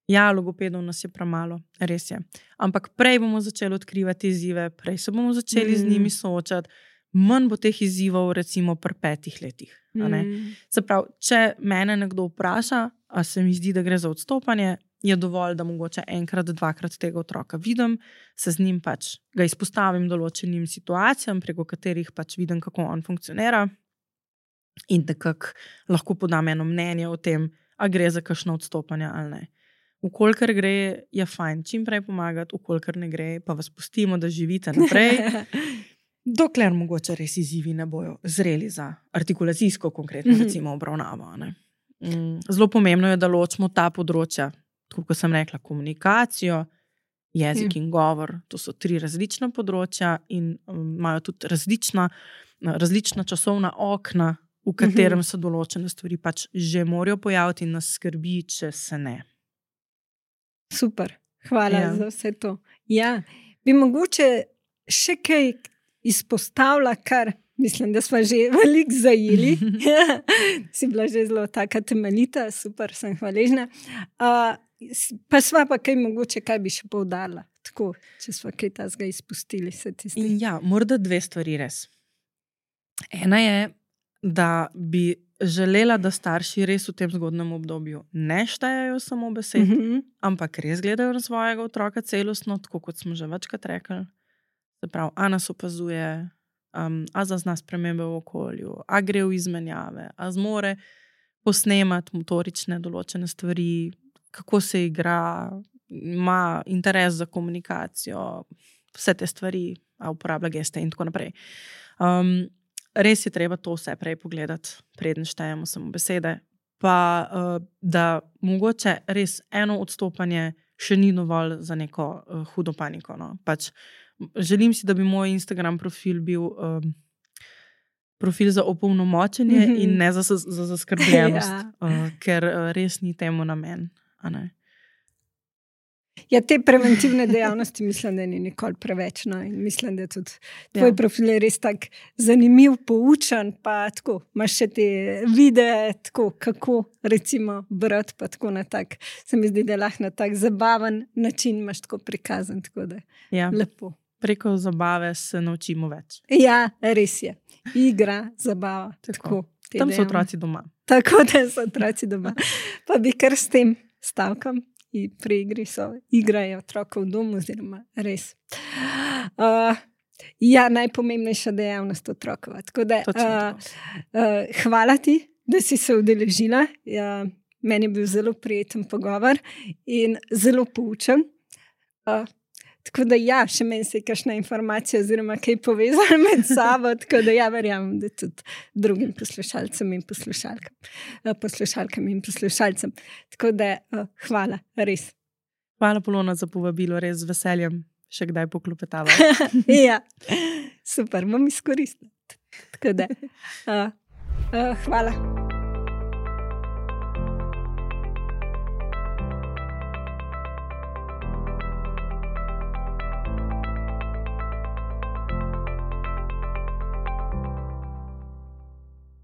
Ja, logopedov nas je premalo, res je. Ampak prej bomo začeli odkrivati izzive, prej se bomo začeli mm-hmm. z njimi soočati, manj bo teh izzivov recimo pri petih letih. Mm. Se pravi, če mene nekdo vpraša, a se mi zdi, da gre za odstopanje, je dovolj, da mogoče enkrat, dvakrat tega otroka vidim, se z njim pač ga izpostavim določenim situacijam, preko katerih pač vidim, kako on funkcionira in nekako lahko podam eno mnenje o tem, a gre za kakšno odstopanje ali ne. Vkolikor gre, je fajn čim prej pomagati, vkolikor ne gre, pa vas pustimo, da živite naprej. Dokler mogoče res izzivi ne bojo zreli za artikulacijsko konkretno recimo obravnavo. Ne? Zelo pomembno je, da ločimo ta področja, tako kot sem rekla, komunikacijo, jezik in govor. To so tri različna področja in imajo tudi različna, različna časovna okna, v katerem se določene stvari pač že morajo pojaviti in nas skrbi, če se ne. Super, hvala ja. Za vse to. Ja, bi mogoče še kaj izpostavlja, kar mislim, da smo že veliko zajeli. Si bila že zelo taka temeljita, super, sem hvaležna. Uh, pa sva pa kaj mogoče, kaj bi še poudarila, tako, če sva kaj tazga izpustili. Se tisti. Ja, morda dve stvari res. Ena je, da bi želela, da starši res v tem zgodnem obdobju ne štejejo samo besed, mm-hmm. ampak res gledajo na svojega otroka celostno, tako kot smo že večkrat rekli. Se pravi, a nas opazuje, um, a zazna spremembe v okolju, a gre v izmenjave, a zmore posnemati motorične določene stvari, kako se igra, ima interes za komunikacijo, vse te stvari, a uporablja geste in tako naprej. Um, res je treba to vse prej pogledati, preden štejemo samo besede, pa uh, da mogoče res eno odstopanje še ni dovolj za neko uh, hudo paniko. No? Pač želim si, da bi moj Instagram profil bil um, profil za opolnomočenje mm-hmm. in ne za, za zaskrbljenost, ja. uh, ker uh, res ni temu namen. A ne? Ja, te preventivne dejavnosti mislim, da ni nikoli preveč. No? In mislim, da tudi tvoj ja. Profil je res tak zanimiv, poučen, pa tako, imaš še te videe, tako, kako recimo brati, pa tako na tak, se mi zdi, da lahko na tak zabaven način imaš tako prikazan, tako da ja. Lepo. Preko zabave se naučimo več. Ja, res je. Igra, zabava. Tako. Tako, Tam so otroci doma. Tako da so otroci doma. Pa bi kar s tem stavkom in pri igri so igrajo otroka v domu, oziroma res. Uh, ja, najpomembnejša dejavnost otrokova. Tako da, uh, uh, hvala ti, da si se udeležila. Ja, meni je bil zelo prijeten pogovor in zelo poučen. Uh, tako da ja, še meni se je kakšna informacija oziroma kaj povezala med sabo, tako da ja, verjamem, da tudi drugim poslušalcem in poslušalkam, uh, poslušalkam in poslušalcem. Tako da uh, hvala, res. Hvala, Polona, za povabilo, res z veseljem še kdaj poklopetava. Ja, super, bom izkoristila. Tako da, uh, uh, hvala.